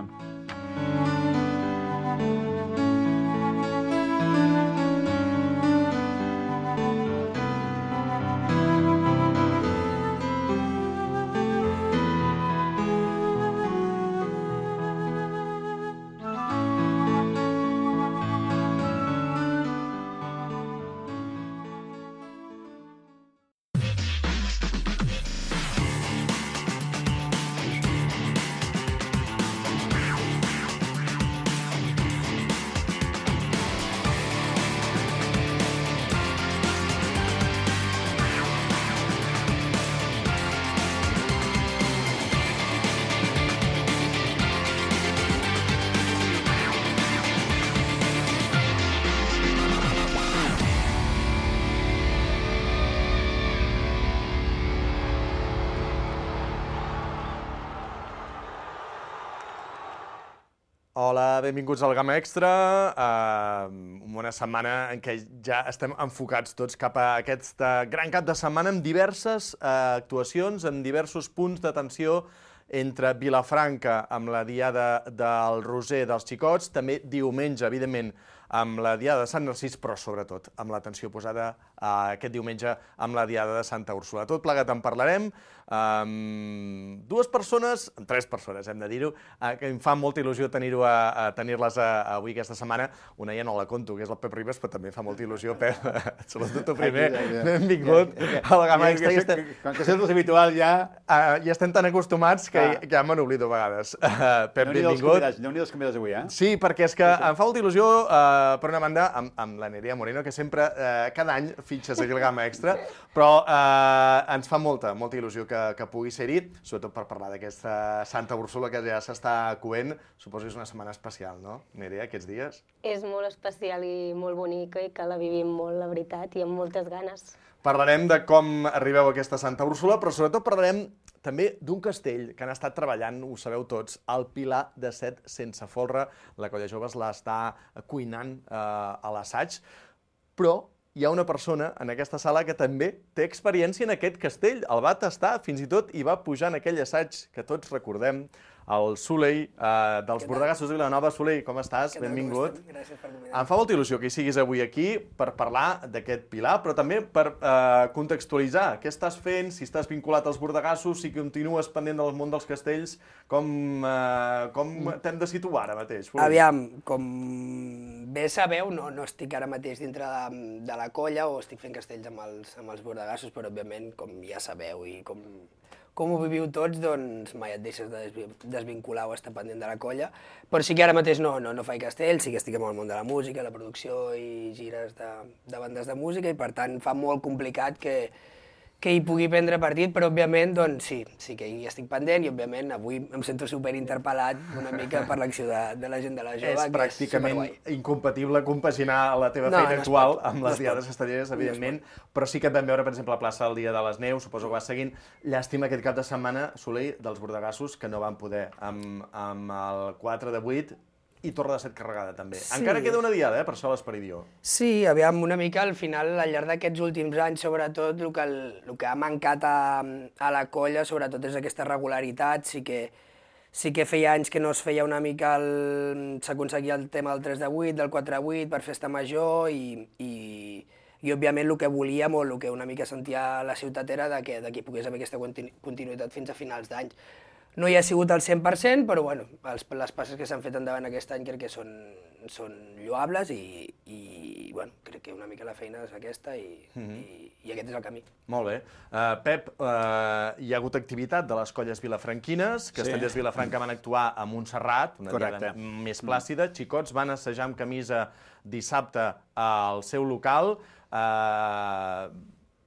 Hola, benvinguts al Gamma Extra. Una setmana en què ja estem enfocats tots cap a aquest gran cap de setmana amb diverses actuacions, amb diversos punts d'atenció entre Vilafranca amb la diada del Roser dels Xicots, també diumenge, evidentment, amb la Diada de Sant Narcís, però sobretot amb l'atenció posada aquest diumenge amb la Diada de Santa Úrsula. Tot plegat en parlarem amb tres persones, hem de dir-ho, que em fa molta il·lusió tenir-les avui aquesta setmana. Una ja no la conto, que és el Pep Ribas, però també fa molta il·lusió, Pep. Salut tu primer, benvingut a la Gamma Extra. Com que és habitual ja estem tan acostumats que ja me n'oblido a vegades. Pep, benvingut. Déu-n'hi-do els convidats avui, Sí, perquè és que em fa molta il·lusió, per una banda, amb la Nerea Moreno, que sempre, cada any, fitxes aquí al Gamma Extra, però ens fa molta il·lusió que pugui ser-hi, sobretot per parlar d'aquesta Santa Úrsula que ja s'està coent. Suposo que és una setmana especial, no, Nerea, aquests dies? És molt especial i molt bonica i que la vivim molt, la veritat, i amb moltes ganes. Parlarem de com arribeu a aquesta Santa Úrsula, però sobretot parlarem també d'un castell que han estat treballant, ho sabeu tots, el Pilar de Set sense folre. La Colla Joves l'està cuinant a l'assaig, però hi ha una persona en aquesta sala que també té experiència en aquest castell. El va tastar, fins i tot hi va pujar en aquell assaig que tots recordem, el Soleil dels Bordegassos de Vilanova. Soleil, com estàs? Benvingut. Gràcies per convidar. Em fa molta il·lusió que hi siguis avui aquí per parlar d'aquest Pilar, però també per contextualitzar què estàs fent, si estàs vinculat als Bordegassos, si continues pendent del món dels castells, com t'hem de situar ara mateix? Aviam, com bé sabeu, no estic ara mateix dintre de la colla o estic fent castells amb els Bordegassos, però òbviament, com ja sabeu i com ho viviu tots, doncs mai et deixes de desvincular o estar pendent de la colla. Però sí que ara mateix no faig castells, sí que estic en el món de la música, la producció i gires de bandes de música, i per tant fa molt complicat que hi pugui prendre partit, però òbviament doncs sí que hi estic pendent, i òbviament avui em sento superinterpel·lat una mica per l'acció de la gent de la jove, és pràcticament incompatible compaginar la teva feina actual amb les diades castelleres, evidentment, però sí que et vam veure, per exemple, a plaça el dia de les Neus, suposo que vas seguint. Llàstima aquest cap de setmana, Soleil, dels Bordegassos, que no van poder amb el 4 de 8, i Torre de Set carregada, també. Sí. Encara queda una diada, per això l'Esperidió. Sí, aviam, una mica, al final, al llarg d'aquests últims anys, sobretot, el que ha mancat a la colla, sobretot, és aquesta regularitat. Sí que feia anys que no es feia una mica, s'aconseguia el tema del 3 de 8, del 4 de 8, per festa major, i òbviament, el que volíem, o el que una mica sentia la ciutat, era que hi pogués haver aquesta continuïtat fins a finals d'any. No hi ha sigut al 100%, però bueno, les passes que s'han fet endavant aquest any crec que són lloables, i bueno, crec que una mica la feina és aquesta, i aquest és el camí. Molt bé. Pep, hi ha hagut activitat de les colles vilafranquines, Castellers Vilafranca van actuar a Montserrat, una diada més plàcida, xicots van assajar amb camisa dissabte al seu local,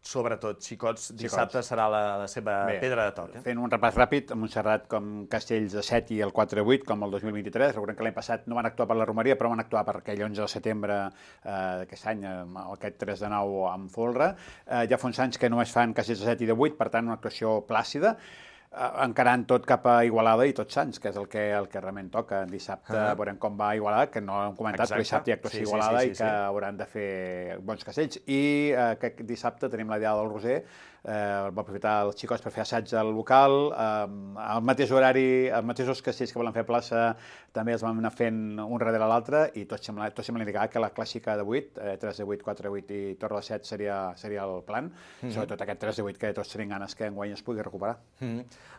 sobretot, xicots, dissabte serà la seva pedra de toc. Fent un repàs ràpid, a Montserrat com Castells de 7 i el 4 de 8, com el 2023. Recordem que l'any passat no van actuar per la Romeria, però van actuar per aquell 11 de setembre d'aquest any, aquest 3 de 9 amb folre. Ja fa uns anys que només fan Castells de 7 i de 8, per tant, una actuació plàcida, encarant tot cap a Igualada i Tots Sants, que és el que realment toca. Dissabte veurem com va Igualada, que no ho hem comentat, però dissabte hi ha actuació a Igualada i que hauran de fer bons castells. I aquest dissabte tenim la Diada del Roser, va aprofitar els xicots per fer assaig al local, al mateix horari, els mateixos castells que volen fer a plaça també els vam anar fent un darrere l'altre, i tot sembla indicar que la clàssica de 8, 3 de 8, 4 de 8 i Torre de 7 seria el plan, sobretot aquest 3 de 8 que tots tenim ganes que enguany es pugui recuperar.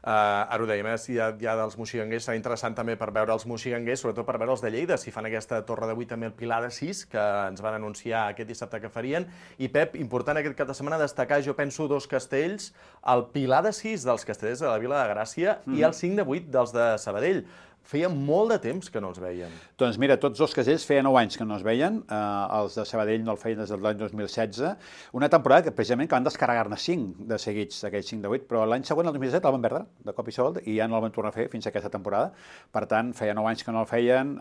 Ara ho dèiem, si hi ha dels moxiganguers, serà interessant també per veure els moxiganguers, sobretot per veure els de Lleida, si fan aquesta Torre de 8 també el Pilar de 6, que ens van anunciar aquest dissabte que farien. I Pep, important aquest cap de setmana destacar, jo penso, dos castells, el Pilar de 6 dels castellers de la Vila de Gràcia i el 5 de 8 dels de Sabadell. Feia molt de temps que no els veien. Doncs mira, tots dos castells feia 9 anys que no els veien, els de Sabadell no el feien des de l'any 2016, una temporada que precisament que van descarregar-ne 5 de seguits, aquells 5 de 8, però l'any següent, el 2017, el van perdre de cop i solt i ja no el van tornar a fer fins a aquesta temporada. Per tant, feia 9 anys que no el feien,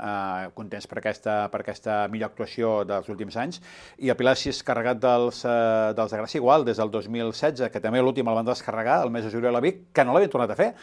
contents per aquesta millor actuació dels últims anys, i el Pilar 6 carregat dels de Gràcia igual, des del 2016, que també l'últim el van descarregar, el mes de juliol a Vic, que no l'havien tornat a fer.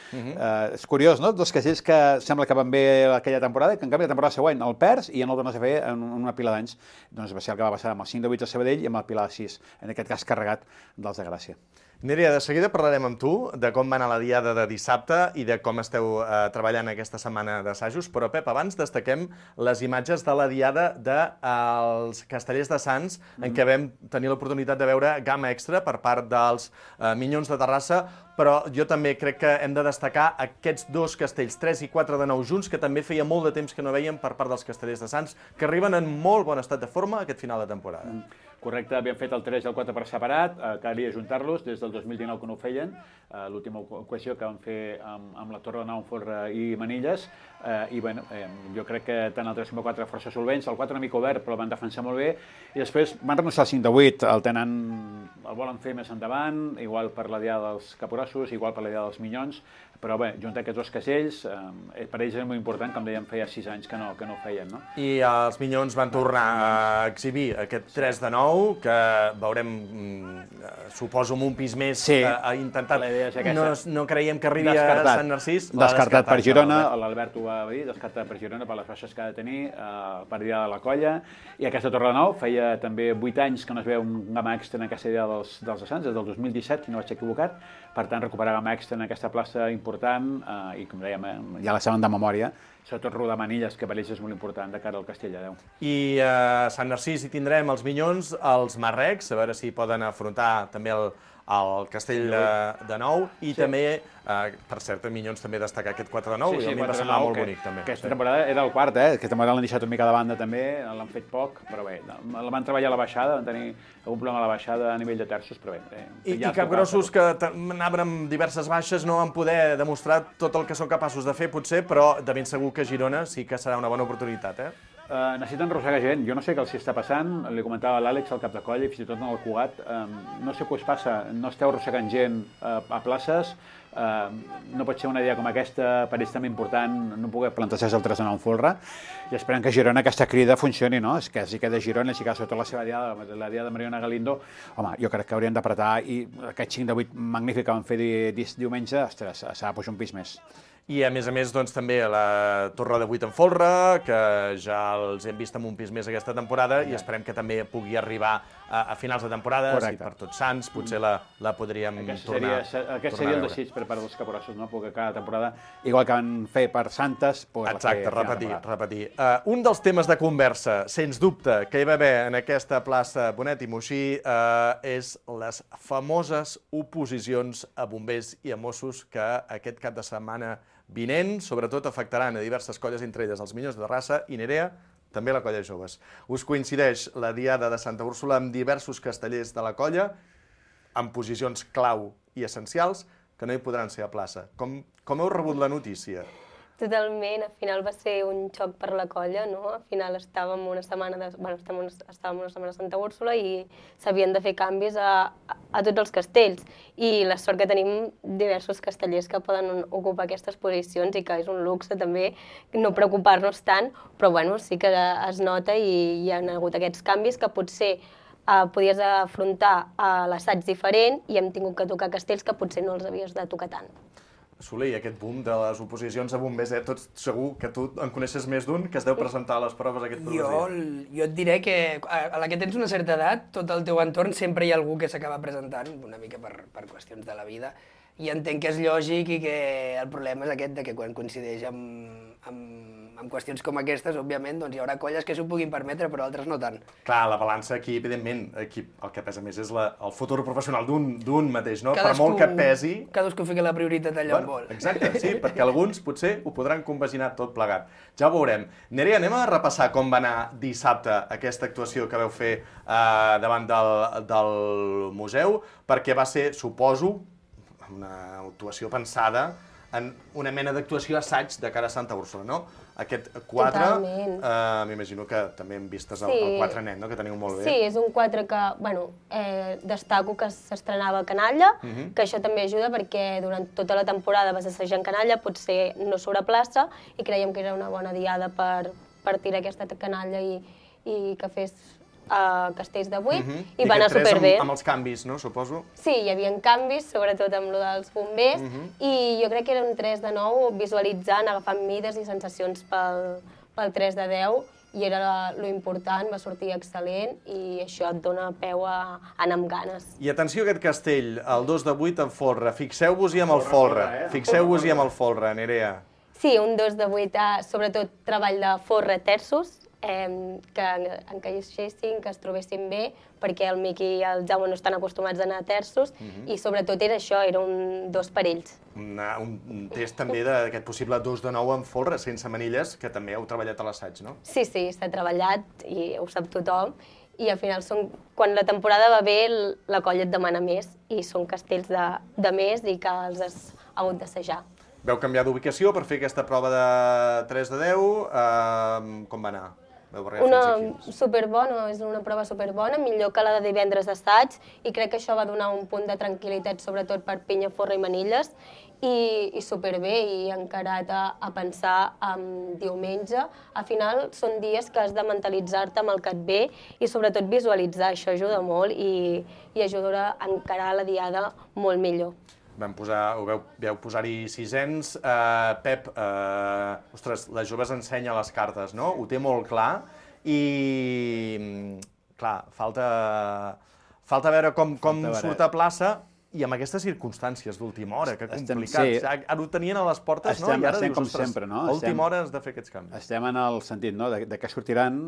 És curiós, no? Dos castells que sembla que van bé aquella temporada, que en canvi la temporada següent el perds i ja no el tornes a fer en una pila d'anys. Doncs va ser el que va passar amb el 5 de 8 de Sabadell i amb el Pilar 6, en aquest cas carregat dels de Gràcia. Nerea, de seguida parlarem amb tu de com va anar la diada de dissabte i de com esteu treballant aquesta setmana d'assajos, però Pep, abans destaquem les imatges de la diada dels Castellers de Sants, en què vam tenir l'oportunitat de veure gamma extra per part dels Minyons de Terrassa, però jo també crec que hem de destacar aquests dos castells, 3 i 4 de 9 junts, que també feia molt de temps que no veiem per part dels Castellers de Sants, que arriben en molt bon estat de forma aquest final de temporada. Correcte, havíem fet el 3 i el 4 per separat, calia ajuntar-los des del 2019 que no ho feien, l'última ocasió que vam fer amb la Torre de Nau, Folra i Manilles, i bueno, jo crec que tant el 3 com el 4 força solvents, el 4 una mica obert però el van defensar molt bé, i després van renunciar al 5 de 8, el volen fer més endavant, igual per la diada dels Caporossos, igual per la diada dels Minyons, però bé, juntar aquests dos castells, per ells és molt important, com dèiem, feia 6 anys que no ho feien, no? I els Minyons van tornar a exhibir aquest 3 de 9, que veurem, suposo, amb un pis més intentat. No creiem que arribi a Sant Narcís. Descartat per Girona, l'Albert ho va dir, descartat per Girona per les baixes que ha de tenir, per diada de la colla, i aquesta Torre de Nou feia també 8 anys que no es veu un gamma extra en aquesta diada dels Sants, des del 2017, si no vaig equivocat, per tant, recuperar gamma extra en aquesta plaça important, i com dèiem, ja la saben de memòria, sobretot rodar Manilles, que per ells és molt important de cara al Castell de Déu. I a Sant Narcís hi tindrem els Minyons, els Marrecs, a veure si poden afrontar també el Castell de Nou, i també, per cert, a Minyons també destacar aquest 4 de 9, i a mi em va semblar molt bonic també. Aquesta temporada era el quart, aquesta temporada l'han deixat una mica de banda també, l'han fet poc, però bé, la van treballar a la baixada, van tenir algun problema a la baixada a nivell de terços, però bé. I Capgrossos, que anaven amb diverses baixes, no van poder demostrar tot el que són capaços de fer, potser, però de ben segur que Girona sí que serà una bona oportunitat, necessiten arrossegar gent, jo no sé què els està passant, li comentava a l'Àlex al cap de colla i fins i tot en el Cugat, no sé què us passa, no esteu arrossegant gent a places, no pot ser una idea com aquesta, per ells també important no poder plantejar el 3 de 9 Folra, i esperem que Girona aquesta crida funcioni, no? És que si queda Girona, si queda sobretot la seva diada, la diada de Mariona Galindo, home, jo crec que haurien d'apretar, i aquest 5 de 8 magnífic que van fer diumenge, ostres, s'ha de pujar un pis més. I a més, doncs, també la Torre de 8 en Folra, que ja els hem vist amb un pis més aquesta temporada, i esperem que també pugui arribar a finals de temporada, i per Tots Sants potser la podríem tornar. Aquest seria el desig per part dels Caporossos, no? Perquè cada temporada, igual que van fer per Santes, poder fer... Exacte, repetir. Un dels temes de conversa, sens dubte, que hi va haver en aquesta plaça Bonet i Moixí és les famoses oposicions a bombers i a Mossos que aquest cap de setmana vinent, sobretot afectaran a diverses colles, entre elles els Minyons de Terrassa i Nerea, també la colla joves. Us coincideix la diada de Santa Úrsula amb diversos castellers de la colla, amb posicions clau i essencials, que no hi podran ser a plaça. Com heu rebut la notícia? Totalment, al final va ser un xoc per la colla, no? Al final estàvem una setmana de Santa Úrsula i s'havien de fer canvis a tots els castells. I la sort que tenim diversos castellers que poden ocupar aquestes posicions i que és un luxe també no preocupar-nos tant, però bueno, sí que es nota i hi ha hagut aquests canvis que potser podies afrontar l'assaig diferent i hem tingut que tocar castells que potser no els havies de tocar tant. Soler, i aquest boom de les oposicions a bombers, tots segur que tu en coneixes més d'un que es deu presentar a les proves aquest programa. Jo et diré que a la que tens una certa edat, tot el teu entorn sempre hi ha algú que s'acaba presentant, una mica per qüestions de la vida, i entenc que és lògic i que el problema és aquest de que quan coincideix amb qüestions com aquestes, òbviament, doncs hi haurà colles que s'ho puguin permetre, però altres no tant. Clar, la balança aquí, evidentment, el que pesa més és el futur professional d'un mateix, no? Per molt que pesi... Cadascú fica la prioritat allà on vol. Exacte, sí, perquè alguns potser ho podran compaginar tot plegat. Ja ho veurem. Nerea, anem a repassar com va anar dissabte aquesta actuació que vau fer davant del museu, perquè va ser, suposo, una actuació pensada en una mena d'actuació assaig de cara a Santa Úrsula, no? Aquest 4, m'imagino que també hem vistes el 4 nen, no? Que teniu molt bé. Sí, és un 4 que, bueno, destaco que s'estrenava a Canalla, que això també ajuda perquè durant tota la temporada vas assajar en Canalla, potser no sobre plaça, i creiem que era una bona diada per tirar aquesta canalla i que fes castells de 8, i va anar superbé. Amb els canvis, no, suposo? Sí, hi havia canvis, sobretot amb lo dels bombers, i jo crec que era un 3 de 9 visualitzant, agafant mides i sensacions pel 3 de 10, i era lo important, va sortir excel·lent i això et dona peu a anar amb ganes. I atenció a aquest castell, el 2 de 8 en folre. Fixeu-vos-hi amb el folre. Fixeu-vos-hi amb el folre, Nerea. Sí, un 2 de 8, sobretot treball de folre terços, que encaixessin, que es trobessin bé, perquè el Miqui i el Jaume no estan acostumats a anar a terços, i sobretot era això, era un 2 per ells. Un test també d'aquest possible 2 de 9 en folre, sense manilles, que també heu treballat a l'assaig, no? Sí, s'ha treballat, i ho sap tothom, i al final, quan la temporada va bé, la colla et demana més, i són castells de més i que els has hagut d'assajar. Vau canviar d'ubicació per fer aquesta prova de 3 de 10, com va anar? Superbona, és una prova superbona, millor que la de divendres d'assaig, i crec que això va donar un punt de tranquil·litat, sobretot per pinya, forra i manilles, i superbé, i encarat a pensar en diumenge. Al final són dies que has de mentalitzar-te amb el que et ve i sobretot visualitzar, això ajuda molt i ajuda a encarar la diada molt millor. Vau posar-hi sisens. Pep, ostres, les joves ensenya les cartes, no? Ho té molt clar i, clar, falta veure com surt a plaça i amb aquestes circumstàncies d'última hora, que complicat. Ara ho tenien a les portes, no? I ara dius, ostres, a última hora has de fer aquests canvis. Estem en el sentit de que sortiran.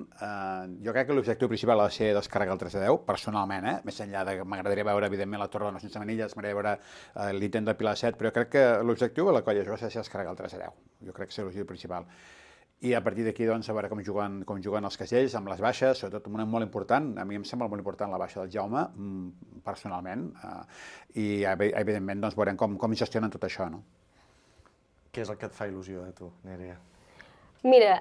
Jo crec que l'objectiu principal ha de ser descarregar el 3 de 10, personalment, més enllà de que m'agradaria veure, evidentment, la Torre sense manilles, m'agradaria veure l'intent de Pilar 7, però jo crec que l'objectiu de la colla jove ha de ser descarregar el 3 de 10. Jo crec que és l'objectiu principal. I a partir d'aquí, doncs, a veure com juguen els castells, amb les baixes, sobretot una molt important, a mi em sembla molt important la baixa del Jaume, personalment, i evidentment doncs, veurem com gestionen tot això, no? Què és el que et fa il·lusió, tu, Nerea? Mira,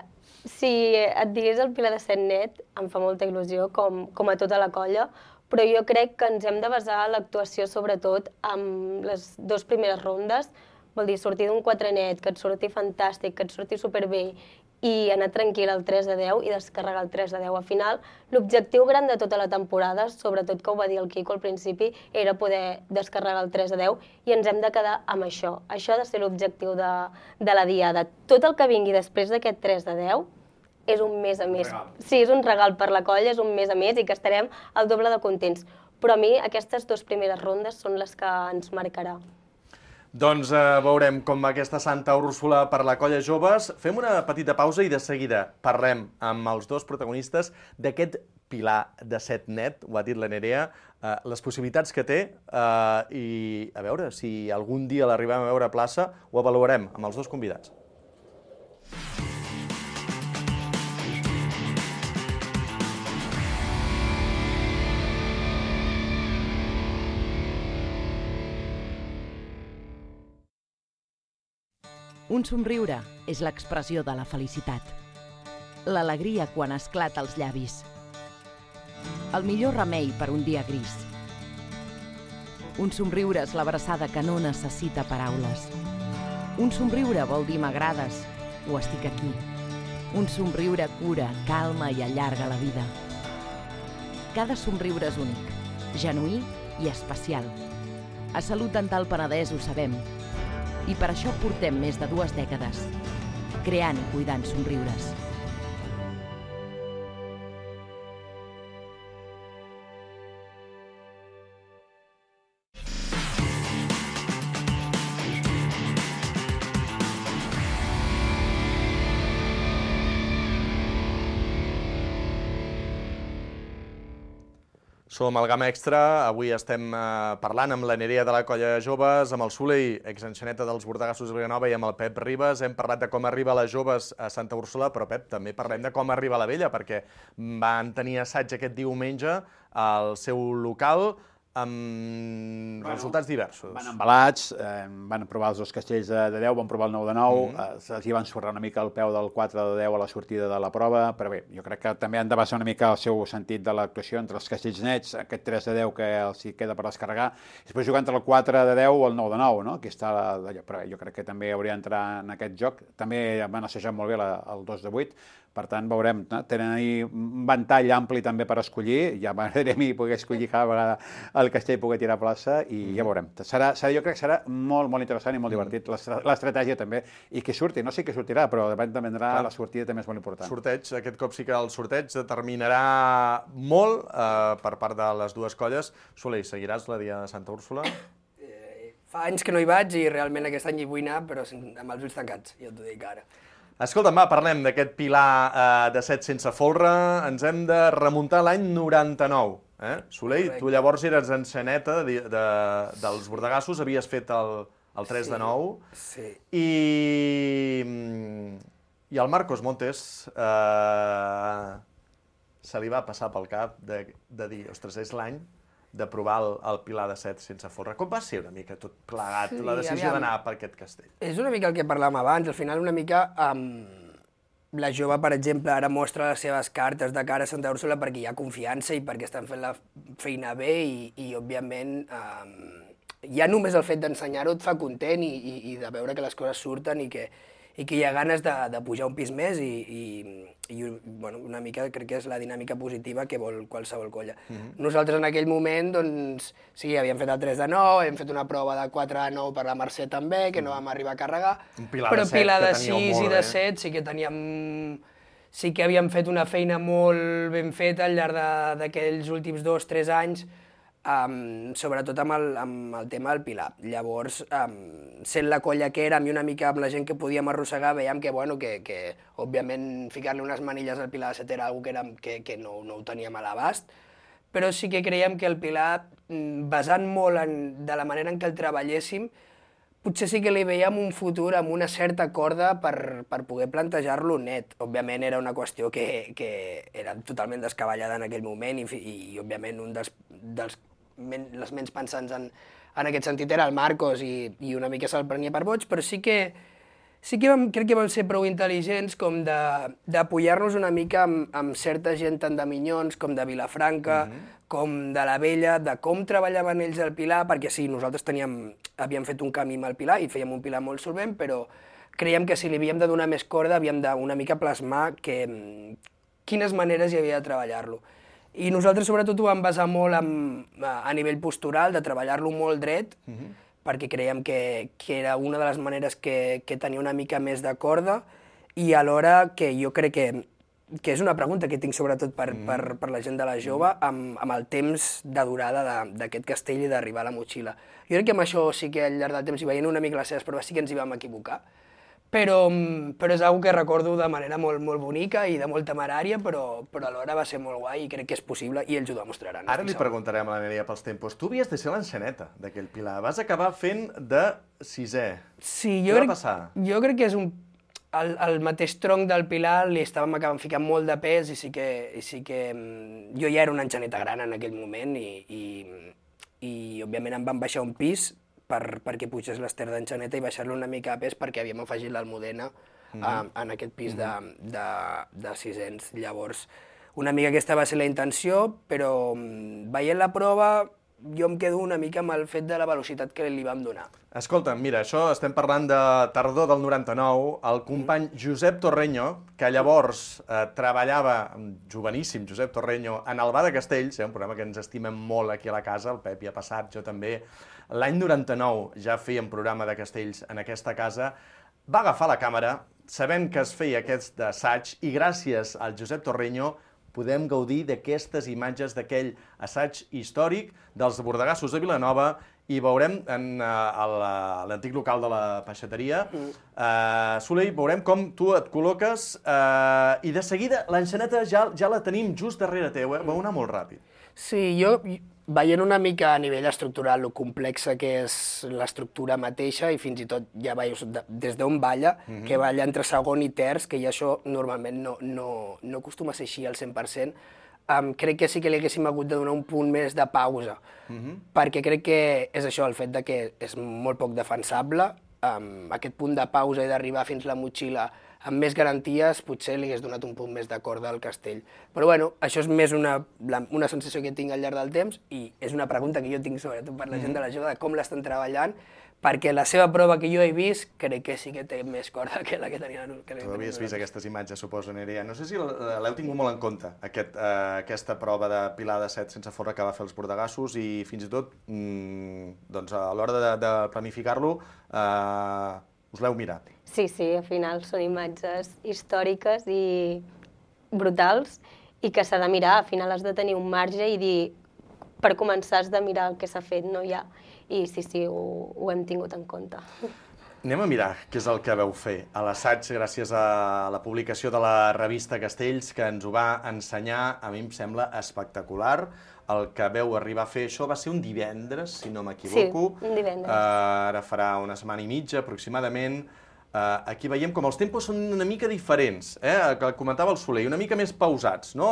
si et digués el Pilar de Set net, em fa molta il·lusió, com a tota la colla, però jo crec que ens hem de basar l'actuació sobretot en les 2 primeres rondes, vol dir, sortir d'un 4 net, que et surti fantàstic, que et surti superbé, i anar tranquil al 3 de 10 i descarregar el 3 de 10. Al final, l'objectiu gran de tota la temporada, sobretot que ho va dir el Quico al principi, era poder descarregar el 3 de 10 i ens hem de quedar amb això. Això ha de ser l'objectiu de la diada. Tot el que vingui després d'aquest 3 de 10 és un més a més. Sí, és un regal per la colla, és un més a més i que estarem al doble de contents. Però a mi aquestes 2 primeres rondes són les que ens marcarà. Doncs veurem com va aquesta Santa Úrsula per la colla joves. Fem una petita pausa i de seguida parlem amb els 2 protagonistes d'aquest Pilar de Set net, ho ha dit la Nerea, les possibilitats que té i a veure si algun dia l'arribem a veure a plaça, ho avaluarem amb els 2 convidats. Un somriure és l'expressió de la felicitat. L'alegria quan esclata als llavis. El millor remei per un dia gris. Un somriure és l'abraçada que no necessita paraules. Un somriure vol dir m'agrades o estic aquí. Un somriure cura, calma i allarga la vida. Cada somriure és únic, genuí i especial. A Salut Dental Penedès ho sabem. I per això portem més de 2 dècades, creant i cuidant somriures. Som al Gamma Extra, avui estem parlant amb la Nerea de la colla joves, amb el Soler, exenxaneta dels Bordegassos de Vilanova, i amb el Pep Ribas. Hem parlat de com arriba les joves a Santa Úrsula, però Pep, també parlem de com arriba la vella, perquè van tenir assaig aquest diumenge al seu local, amb resultats diversos. Van embalats, van provar els 2 castells de 10, van provar el 9 de 9, els hi van sorrar una mica el peu del 4 de 10 a la sortida de la prova, però bé, jo crec que també han de basar una mica el seu sentit de l'actuació entre els castells nets, aquest 3 de 10 que els hi queda per descarregar, i després jugar entre el 4 de 10 o el 9 de 9, no? Aquí està però jo crec que també hauria d'entrar en aquest joc. També van assajar molt bé el 2 de 8, Per tant, veurem, tenen ahir un ventall ampli també per escollir, ja m'agradaria a mi poder escollir cada vegada el castell poder tirar a plaça i ja veurem. Jo crec que serà molt, molt interessant i molt divertit, l'estratègia també, i que surti, no sé què sortirà, però dependrà, la sortida també és molt important. Sorteig, aquest cop sí que el sorteig determinarà molt per part de les dues colles. Soler, seguiràs la Dia de Santa Úrsula? Fa anys que no hi vaig i realment aquest any hi vull anar, però amb els ulls tancats, ja t'ho dic ara. Escolta'm, parlem d'aquest pilar de 7 sense folre. Ens hem de remuntar l'any 99. Soler, tu llavors eres enxaneta dels bordegassos, havies fet el 3 de 9. Sí. I el Marcos Montes se li va passar pel cap de dir, ostres, és l'any de provar el pilar de 7 sense folre. Com va ser una mica tot plegat, la decisió d'anar per aquest castell? És una mica el que parlàvem abans, al final una mica la jove, per exemple, ara mostra les seves cartes de cara a Santa Úrsula perquè hi ha confiança i perquè estan fent la feina bé i òbviament, ja només el fet d'ensenyar-ho et fa content i de veure que les coses surten i que hi ha ganes de pujar un pis més i una mica crec que és la dinàmica positiva que vol qualsevol colla. Nosaltres en aquell moment, doncs, sí, havíem fet el 3 de 9, hem fet una prova de 4 de 9 per la Mercè també, que no vam arribar a carregar, però pilar de 6 i de 7 sí que teníem... Sí que havíem fet una feina molt ben feta al llarg d'aquells últims 2-3 anys, sobretot amb el tema del pilar. Llavors, sent la colla que érem i una mica amb la gent que podíem arrossegar, veiem que òbviament, ficar-li unes manilles al pilar de 7 era una cosa que no ho teníem a l'abast, però sí que creiem que el pilar, basant molt de la manera en què el treballéssim, potser sí que li veiem un futur amb una certa corda per poder plantejar-lo net. Òbviament era una qüestió que era totalment descabellada en aquell moment i òbviament un dels menys pensants en aquest sentit era el Marcos i una mica se'l prenia per boig, però sí que crec que vam ser prou intel·ligents com d'apoyar-nos una mica amb certa gent tant de Minyons com de Vilafranca, com de la Vella, de com treballaven ells el pilar, perquè sí, nosaltres havíem fet un camí amb el pilar i fèiem un pilar molt solvent, però creiem que si li havíem de donar més corda havíem d'una mica plasmar quines maneres hi havia de treballar-lo. I nosaltres sobretot ho vam basar molt a nivell postural, de treballar-lo molt dret, perquè creiem que era una de les maneres que tenia una mica més de corda i alhora que jo crec que és una pregunta que tinc sobretot per la gent de la jove amb el temps de durada d'aquest castell i d'arribar a la motxilla. Jo crec que amb això sí que al llarg del temps i veient una mica les seves proves sí que ens hi vam equivocar, però és una que recordo de manera molt bonica i de molt temerària, però alhora va ser molt guai i crec que és possible i ells ho demostraran. Ara li preguntarem a la Nerea pels tempos. Tu havies de ser l'enxaneta d'aquell pilar. Vas acabar fent de 6è. Sí, Què va passar? Jo crec que és el mateix tronc del pilar li estàvem acabant ficant molt de pes i sí que jo ja era una enxaneta gran en aquell moment i òbviament em van baixar un pis perquè pugés l'Ester d'enxaneta i baixar-lo una mica a pes perquè havíem afegit l'Almudena en aquest pis de 600. Llavors, una mica aquesta va ser la intenció, però veient la prova jo em quedo una mica amb el fet de la velocitat que li vam donar. Escolta, mira, això estem parlant de tardor del 99, el company Josep Torreño, que llavors treballava, joveníssim Josep Torreño, en el Bar de Castells, un programa que ens estimem molt aquí a la casa, el Pep hi ha passat, jo també. L'any 99 ja fèiem programa de castells en aquesta casa, va agafar la càmera, sabent que es feia aquest assaig, i gràcies al Josep Torreño podem gaudir d'aquestes imatges d'aquell assaig històric dels bordegassos de Vilanova i veurem en l'antic local de la peixateria. Soler, veurem com tu et col·loques i de seguida l'enxaneta ja la tenim just darrere teu, vau anar molt ràpid. Sí, jo veient una mica a nivell estructural lo complexa que és l'estructura mateixa i fins i tot ja veus des d'on balla, que balla entre segon i terç, que ja això normalment no acostuma a ser així al 100%, crec que sí que li haguéssim hagut de donar un punt més de pausa, perquè crec que és això, el fet de que és molt poc defensable, aquest punt de pausa i d'arribar fins a la motxilla amb més garanties, potser li hagués donat un punt més de corda al castell. Però bueno, això és més una sensació que tinc al llarg del temps i és una pregunta que jo tinc sobretot per la gent de la jove de com l'estan treballant, perquè la seva prova que jo he vist crec que sí que té més corda que la que tenia. Tu havies vist aquestes imatges, suposo, Nerea. No sé si l'heu tingut molt en compte, aquesta prova de pilar de 7 sense folre que va fer els bordegassos i fins i tot a l'hora de planificar-lo us l'heu mirat. Sí, al final són imatges històriques i brutals i que s'ha de mirar. Al final has de tenir un marge i dir, per començar has de mirar el que s'ha fet, no hi ha. I sí, ho hem tingut en compte. Anem a mirar què és el que vau fer a l'assaig gràcies a la publicació de la revista Castells, que ens ho va ensenyar, a mi em sembla espectacular. El que veu arribar a fer això va ser un divendres, si no m'equivoco. Sí, un divendres. Ara farà una setmana i mitja, aproximadament. Aquí veiem com els tempos són una mica diferents, que comentava el Soler, una mica més pausats, no?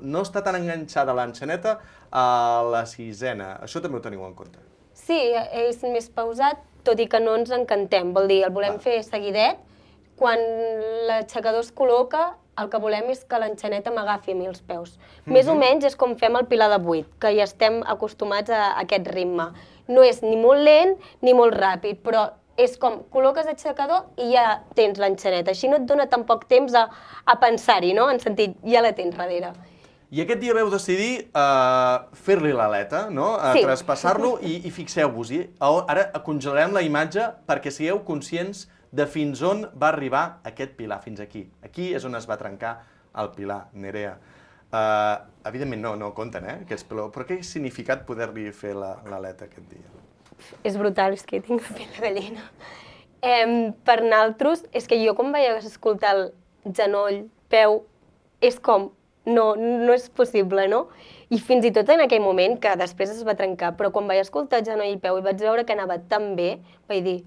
No està tan enganxada l'enxaneta a la sisena. Això també ho teniu en compte. Sí, és més pausat, tot i que no ens encantem. Vol dir, el volem fer seguidet. Quan l'aixecador es col·loca, el que volem és que l'enxaneta m'agafi a mi els peus. Més o menys és com fem el pilar de 8, que ja estem acostumats a aquest ritme. No és ni molt lent ni molt ràpid, però és com col·loques l'aixecador i ja tens l'enxaneta. Així no et dona tan poc temps a pensar-hi, no? En sentit, ja la tens darrere. I aquest dia vau decidir fer-li l'aleta, no? Sí. Traspassar-lo i fixeu-vos-hi. Ara congelarem la imatge perquè sigueu conscients de fins on va arribar aquest pilar, fins aquí. Aquí és on es va trencar el pilar, Nerea. Evidentment no compten, però què ha significat poder-li fer l'aleta aquest dia? És brutal, és que tinc la pell de gallina. Per naltros, és que jo quan vaig escoltar el genoll, peu, és com, no és possible, no? I fins i tot en aquell moment, que després es va trencar, però quan vaig escoltar el genoll i peu i vaig veure que anava tan bé, vaig dir,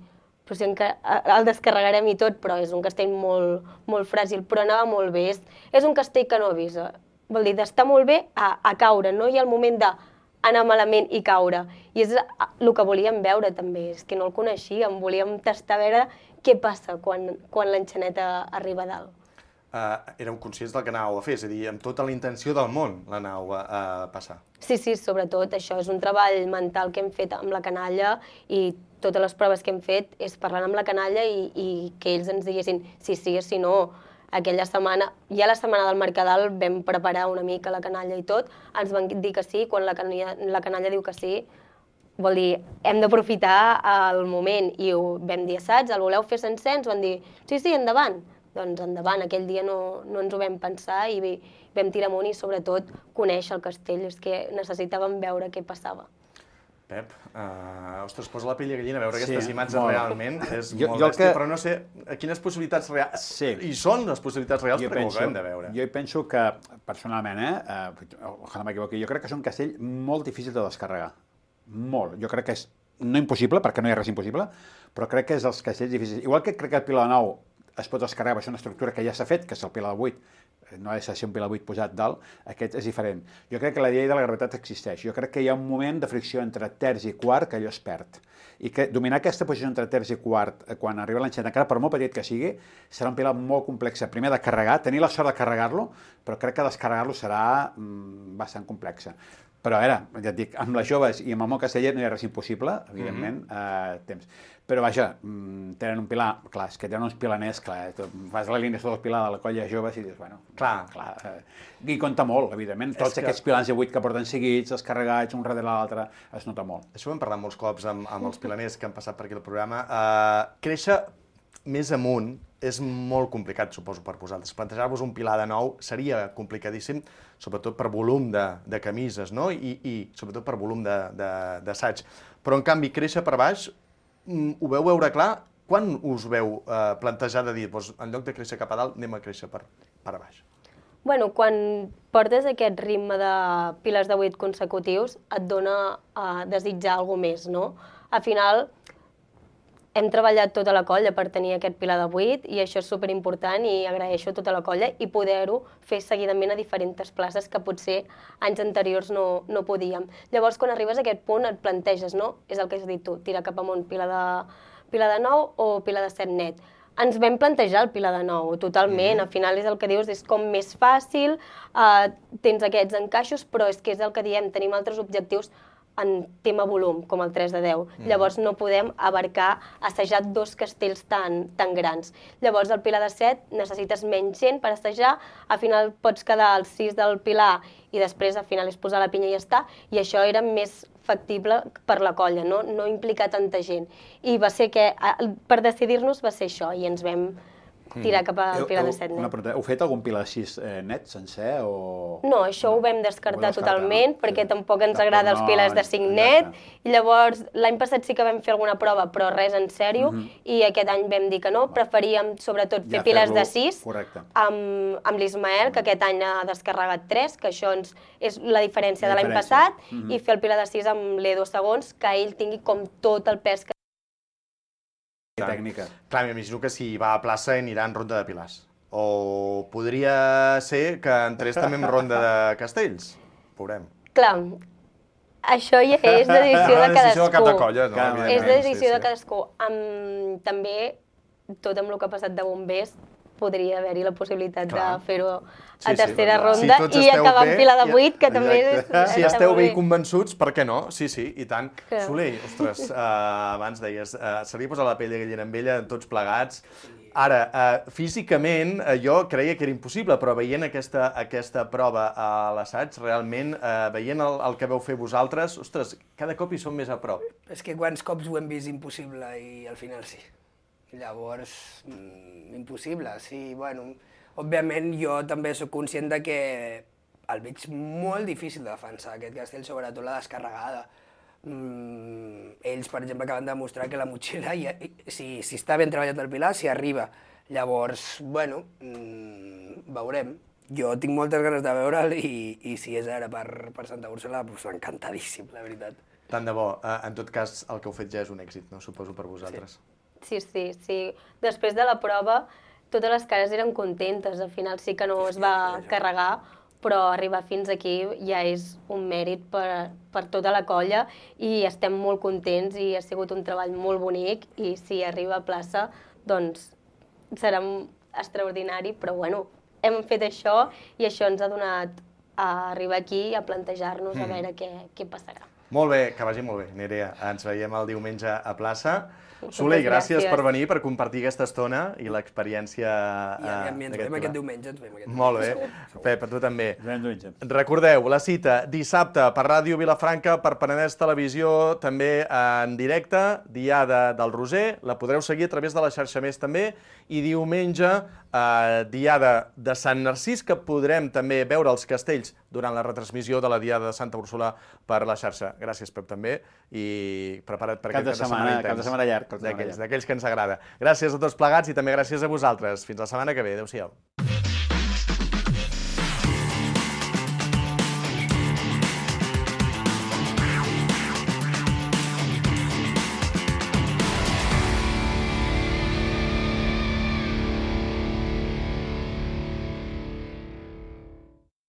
però si el descarregarem i tot, però és un castell molt fràgil, però anava molt bé. És un castell que no avisa. Vol dir, d'estar molt bé a caure, no hi ha el moment d'anar malament i caure. I és el que volíem veure també, és que no el coneixíem, volíem tastar a veure què passa quan l'enxaneta arriba a dalt. Éreu conscients del que anàveu a fer, és a dir, amb tota la intenció del món l'anàveu a passar. Sí, sobretot això és un treball mental que hem fet amb la canalla i totes les proves que hem fet és parlant amb la canalla i que ells ens diguessin si no. Aquella setmana, ja la setmana del Mercadal vam preparar una mica la canalla i tot, ens van dir que sí, quan la canalla diu que sí, vol dir, hem d'aprofitar el moment i ho vam dir assaig, el voleu fer sencer? Ens van dir, sí, endavant. Doncs endavant, aquell dia no ens ho vam pensar i vam tirar amunt i sobretot conèixer el castell, és que necessitàvem veure què passava. Pep, ostres, posa la pell de gallina, veure aquestes imatges realment és molt bèstia, però no sé quines possibilitats reals, i són les possibilitats reals perquè ho acabem de veure. Jo penso que, personalment, ojalà m'equivoqui, jo crec que és un castell molt difícil de descarregar, molt. Jo crec que és no impossible, perquè no hi ha res impossible, però crec que és dels castells difícils. Igual que crec que el Pilar de 9 es pot descarregar, és una estructura que ja s'ha fet, que és el Pilar de 8, no ha de ser un Pilar 8 posat dalt, aquest és diferent. Jo crec que la llei de la gravetat existeix. Jo crec que hi ha un moment de fricció entre terç i quart que allò es perd. I que dominar aquesta posició entre terç i quart quan arriba l'enxaneta, encara per molt petit que sigui, serà un Pilar molt complex. Primer de carregar, tenir la sort de carregar-lo, però crec que descarregar-lo serà bastant complex. Però a veure, ja et dic, amb les joves i amb el món casteller no hi ha res impossible, evidentment, temps. Però vaja, tenen un pilar, clar, és que tenen uns pilaners, clar, fas la línia del pilar de la colla joves i dius, bueno, clar, i compta molt, evidentment, tots aquests pilars de 8 que porten seguits, descarregats, un darrere l'altre, es nota molt. Això ho hem parlat molts cops amb els pilaners que han passat per aquí al programa. Créixer més amunt és molt complicat, suposo, per vosaltres. Plantejar-vos un pilar de 9 seria complicadíssim, sobretot per volum de camises, no? I sobretot per volum d'assaig. Però, en canvi, créixer per baix, ho veu veure clar? Quan us veu plantejar de dir, en lloc de créixer cap a dalt, anem a créixer per baix? Bueno, quan portes aquest ritme de pilars de 8 consecutius, et dona a desitjar alguna més, no? Al final, hem treballat tota la colla per tenir aquest pilar de 8 i això és superimportant i agraeixo a tota la colla i poder-ho fer seguidament a diferents places que potser anys anteriors no podíem. Llavors, quan arribes a aquest punt et planteges, no? És el que has dit tu, tirar cap amunt pilar de 9 o pilar de 7 net. Ens vam plantejar el pilar de 9, totalment. Al final és el que dius, és com més fàcil, tens aquests encaixos, però és que és el que diem, tenim altres objectius en tema volum, com el 3 de 10. Llavors no podem abarcar, assajar 2 castells tan grans. Llavors al Pilar de 7 necessites menys gent per assajar, al final pots quedar als 6 del Pilar i després al final és posar la pinya i ja està, i això era més factible per la colla, no implicar tanta gent. I va ser que, per decidir-nos, va ser això, i ens vam tirar cap al Pilar de 7 net. Una pregunta, heu fet algun Pilar 6 net, sencer, o...? No, això ho vam descartar totalment, perquè tampoc ens agrada els pilars de 5 net, i llavors l'any passat sí que vam fer alguna prova, però res en sèrio, i aquest any vam dir que no, preferíem sobretot fer pilars de 6 amb l'Ismael, que aquest any ha descarregat 3, que això és la diferència de l'any passat, i fer el pilar de 6 amb l'Edo segons, que ell tingui com tot el pes que tècnica. Clar, m'imagino que si va a plaça anirà en ronda de pilars. O podria ser que entrés també en ronda de castells. Veurem. Clar, això ja és decisió de cadascú. És decisió de cap de colla, no? És decisió de cadascú. També, tot amb el que ha passat de bombers, podria haver-hi la possibilitat de fer-ho a tercera ronda i acabar amb Pilar de 8, que també és... Si esteu bé i convençuts, per què no? Sí, i tant. Soler, ostres, abans deies, se li ha posat la pell de gallina amb ella, tots plegats. Ara, físicament, jo creia que era impossible, però veient aquesta prova a l'assaig, realment, veient el que vau fer vosaltres, ostres, cada cop hi som més a prop. És que quants cops ho hem vist impossible i al final sí. Llavors, impossible, sí, bueno, òbviament jo també sóc conscient de que el veig molt difícil de defensar aquest castell, sobretot la descarregada. Ells, per exemple, acaben de demostrar que la motxilla, si està ben treballat el pilar, s'hi arriba. Llavors, bueno, veurem. Jo tinc moltes ganes de veure'l i si és ara per Santa Úrsula, doncs encantadíssim, la veritat. Tant de bo. En tot cas, el que heu fet ja és un èxit, no? Suposo per vosaltres. Sí. Després de la prova, totes les cares eren contentes. Al final sí que no es va carregar, però arribar fins aquí ja és un mèrit per tota la colla i estem molt contents i ha sigut un treball molt bonic i si arriba a plaça, doncs serà extraordinari, però bueno, hem fet això i això ens ha donat a arribar aquí i a plantejar-nos a veure què passarà. Molt bé, que vagi molt bé, Nerea. Ens veiem el diumenge a plaça. Soler, gràcies per venir, per compartir aquesta estona i l'experiència d'aquest pilar. Ens veiem aquest diumenge. Molt bé. Pep, a tu també. Recordeu, la cita dissabte per Ràdio Vilafranca, per Penedès Televisió, també en directe, Diada del Roser, la podreu seguir a través de la xarxa Més també, i diumenge, Diada de Sant Narcís, que podrem també veure els castells durant la retransmissió de la Diada de Santa Úrsula per la xarxa. Gràcies, Pep, també, i prepara't per aquest cap de setmana intens. Cap de setmana llarg. D'aquells que ens agrada. Gràcies a tots plegats i també gràcies a vosaltres. Fins la setmana que ve. Adéu-siau.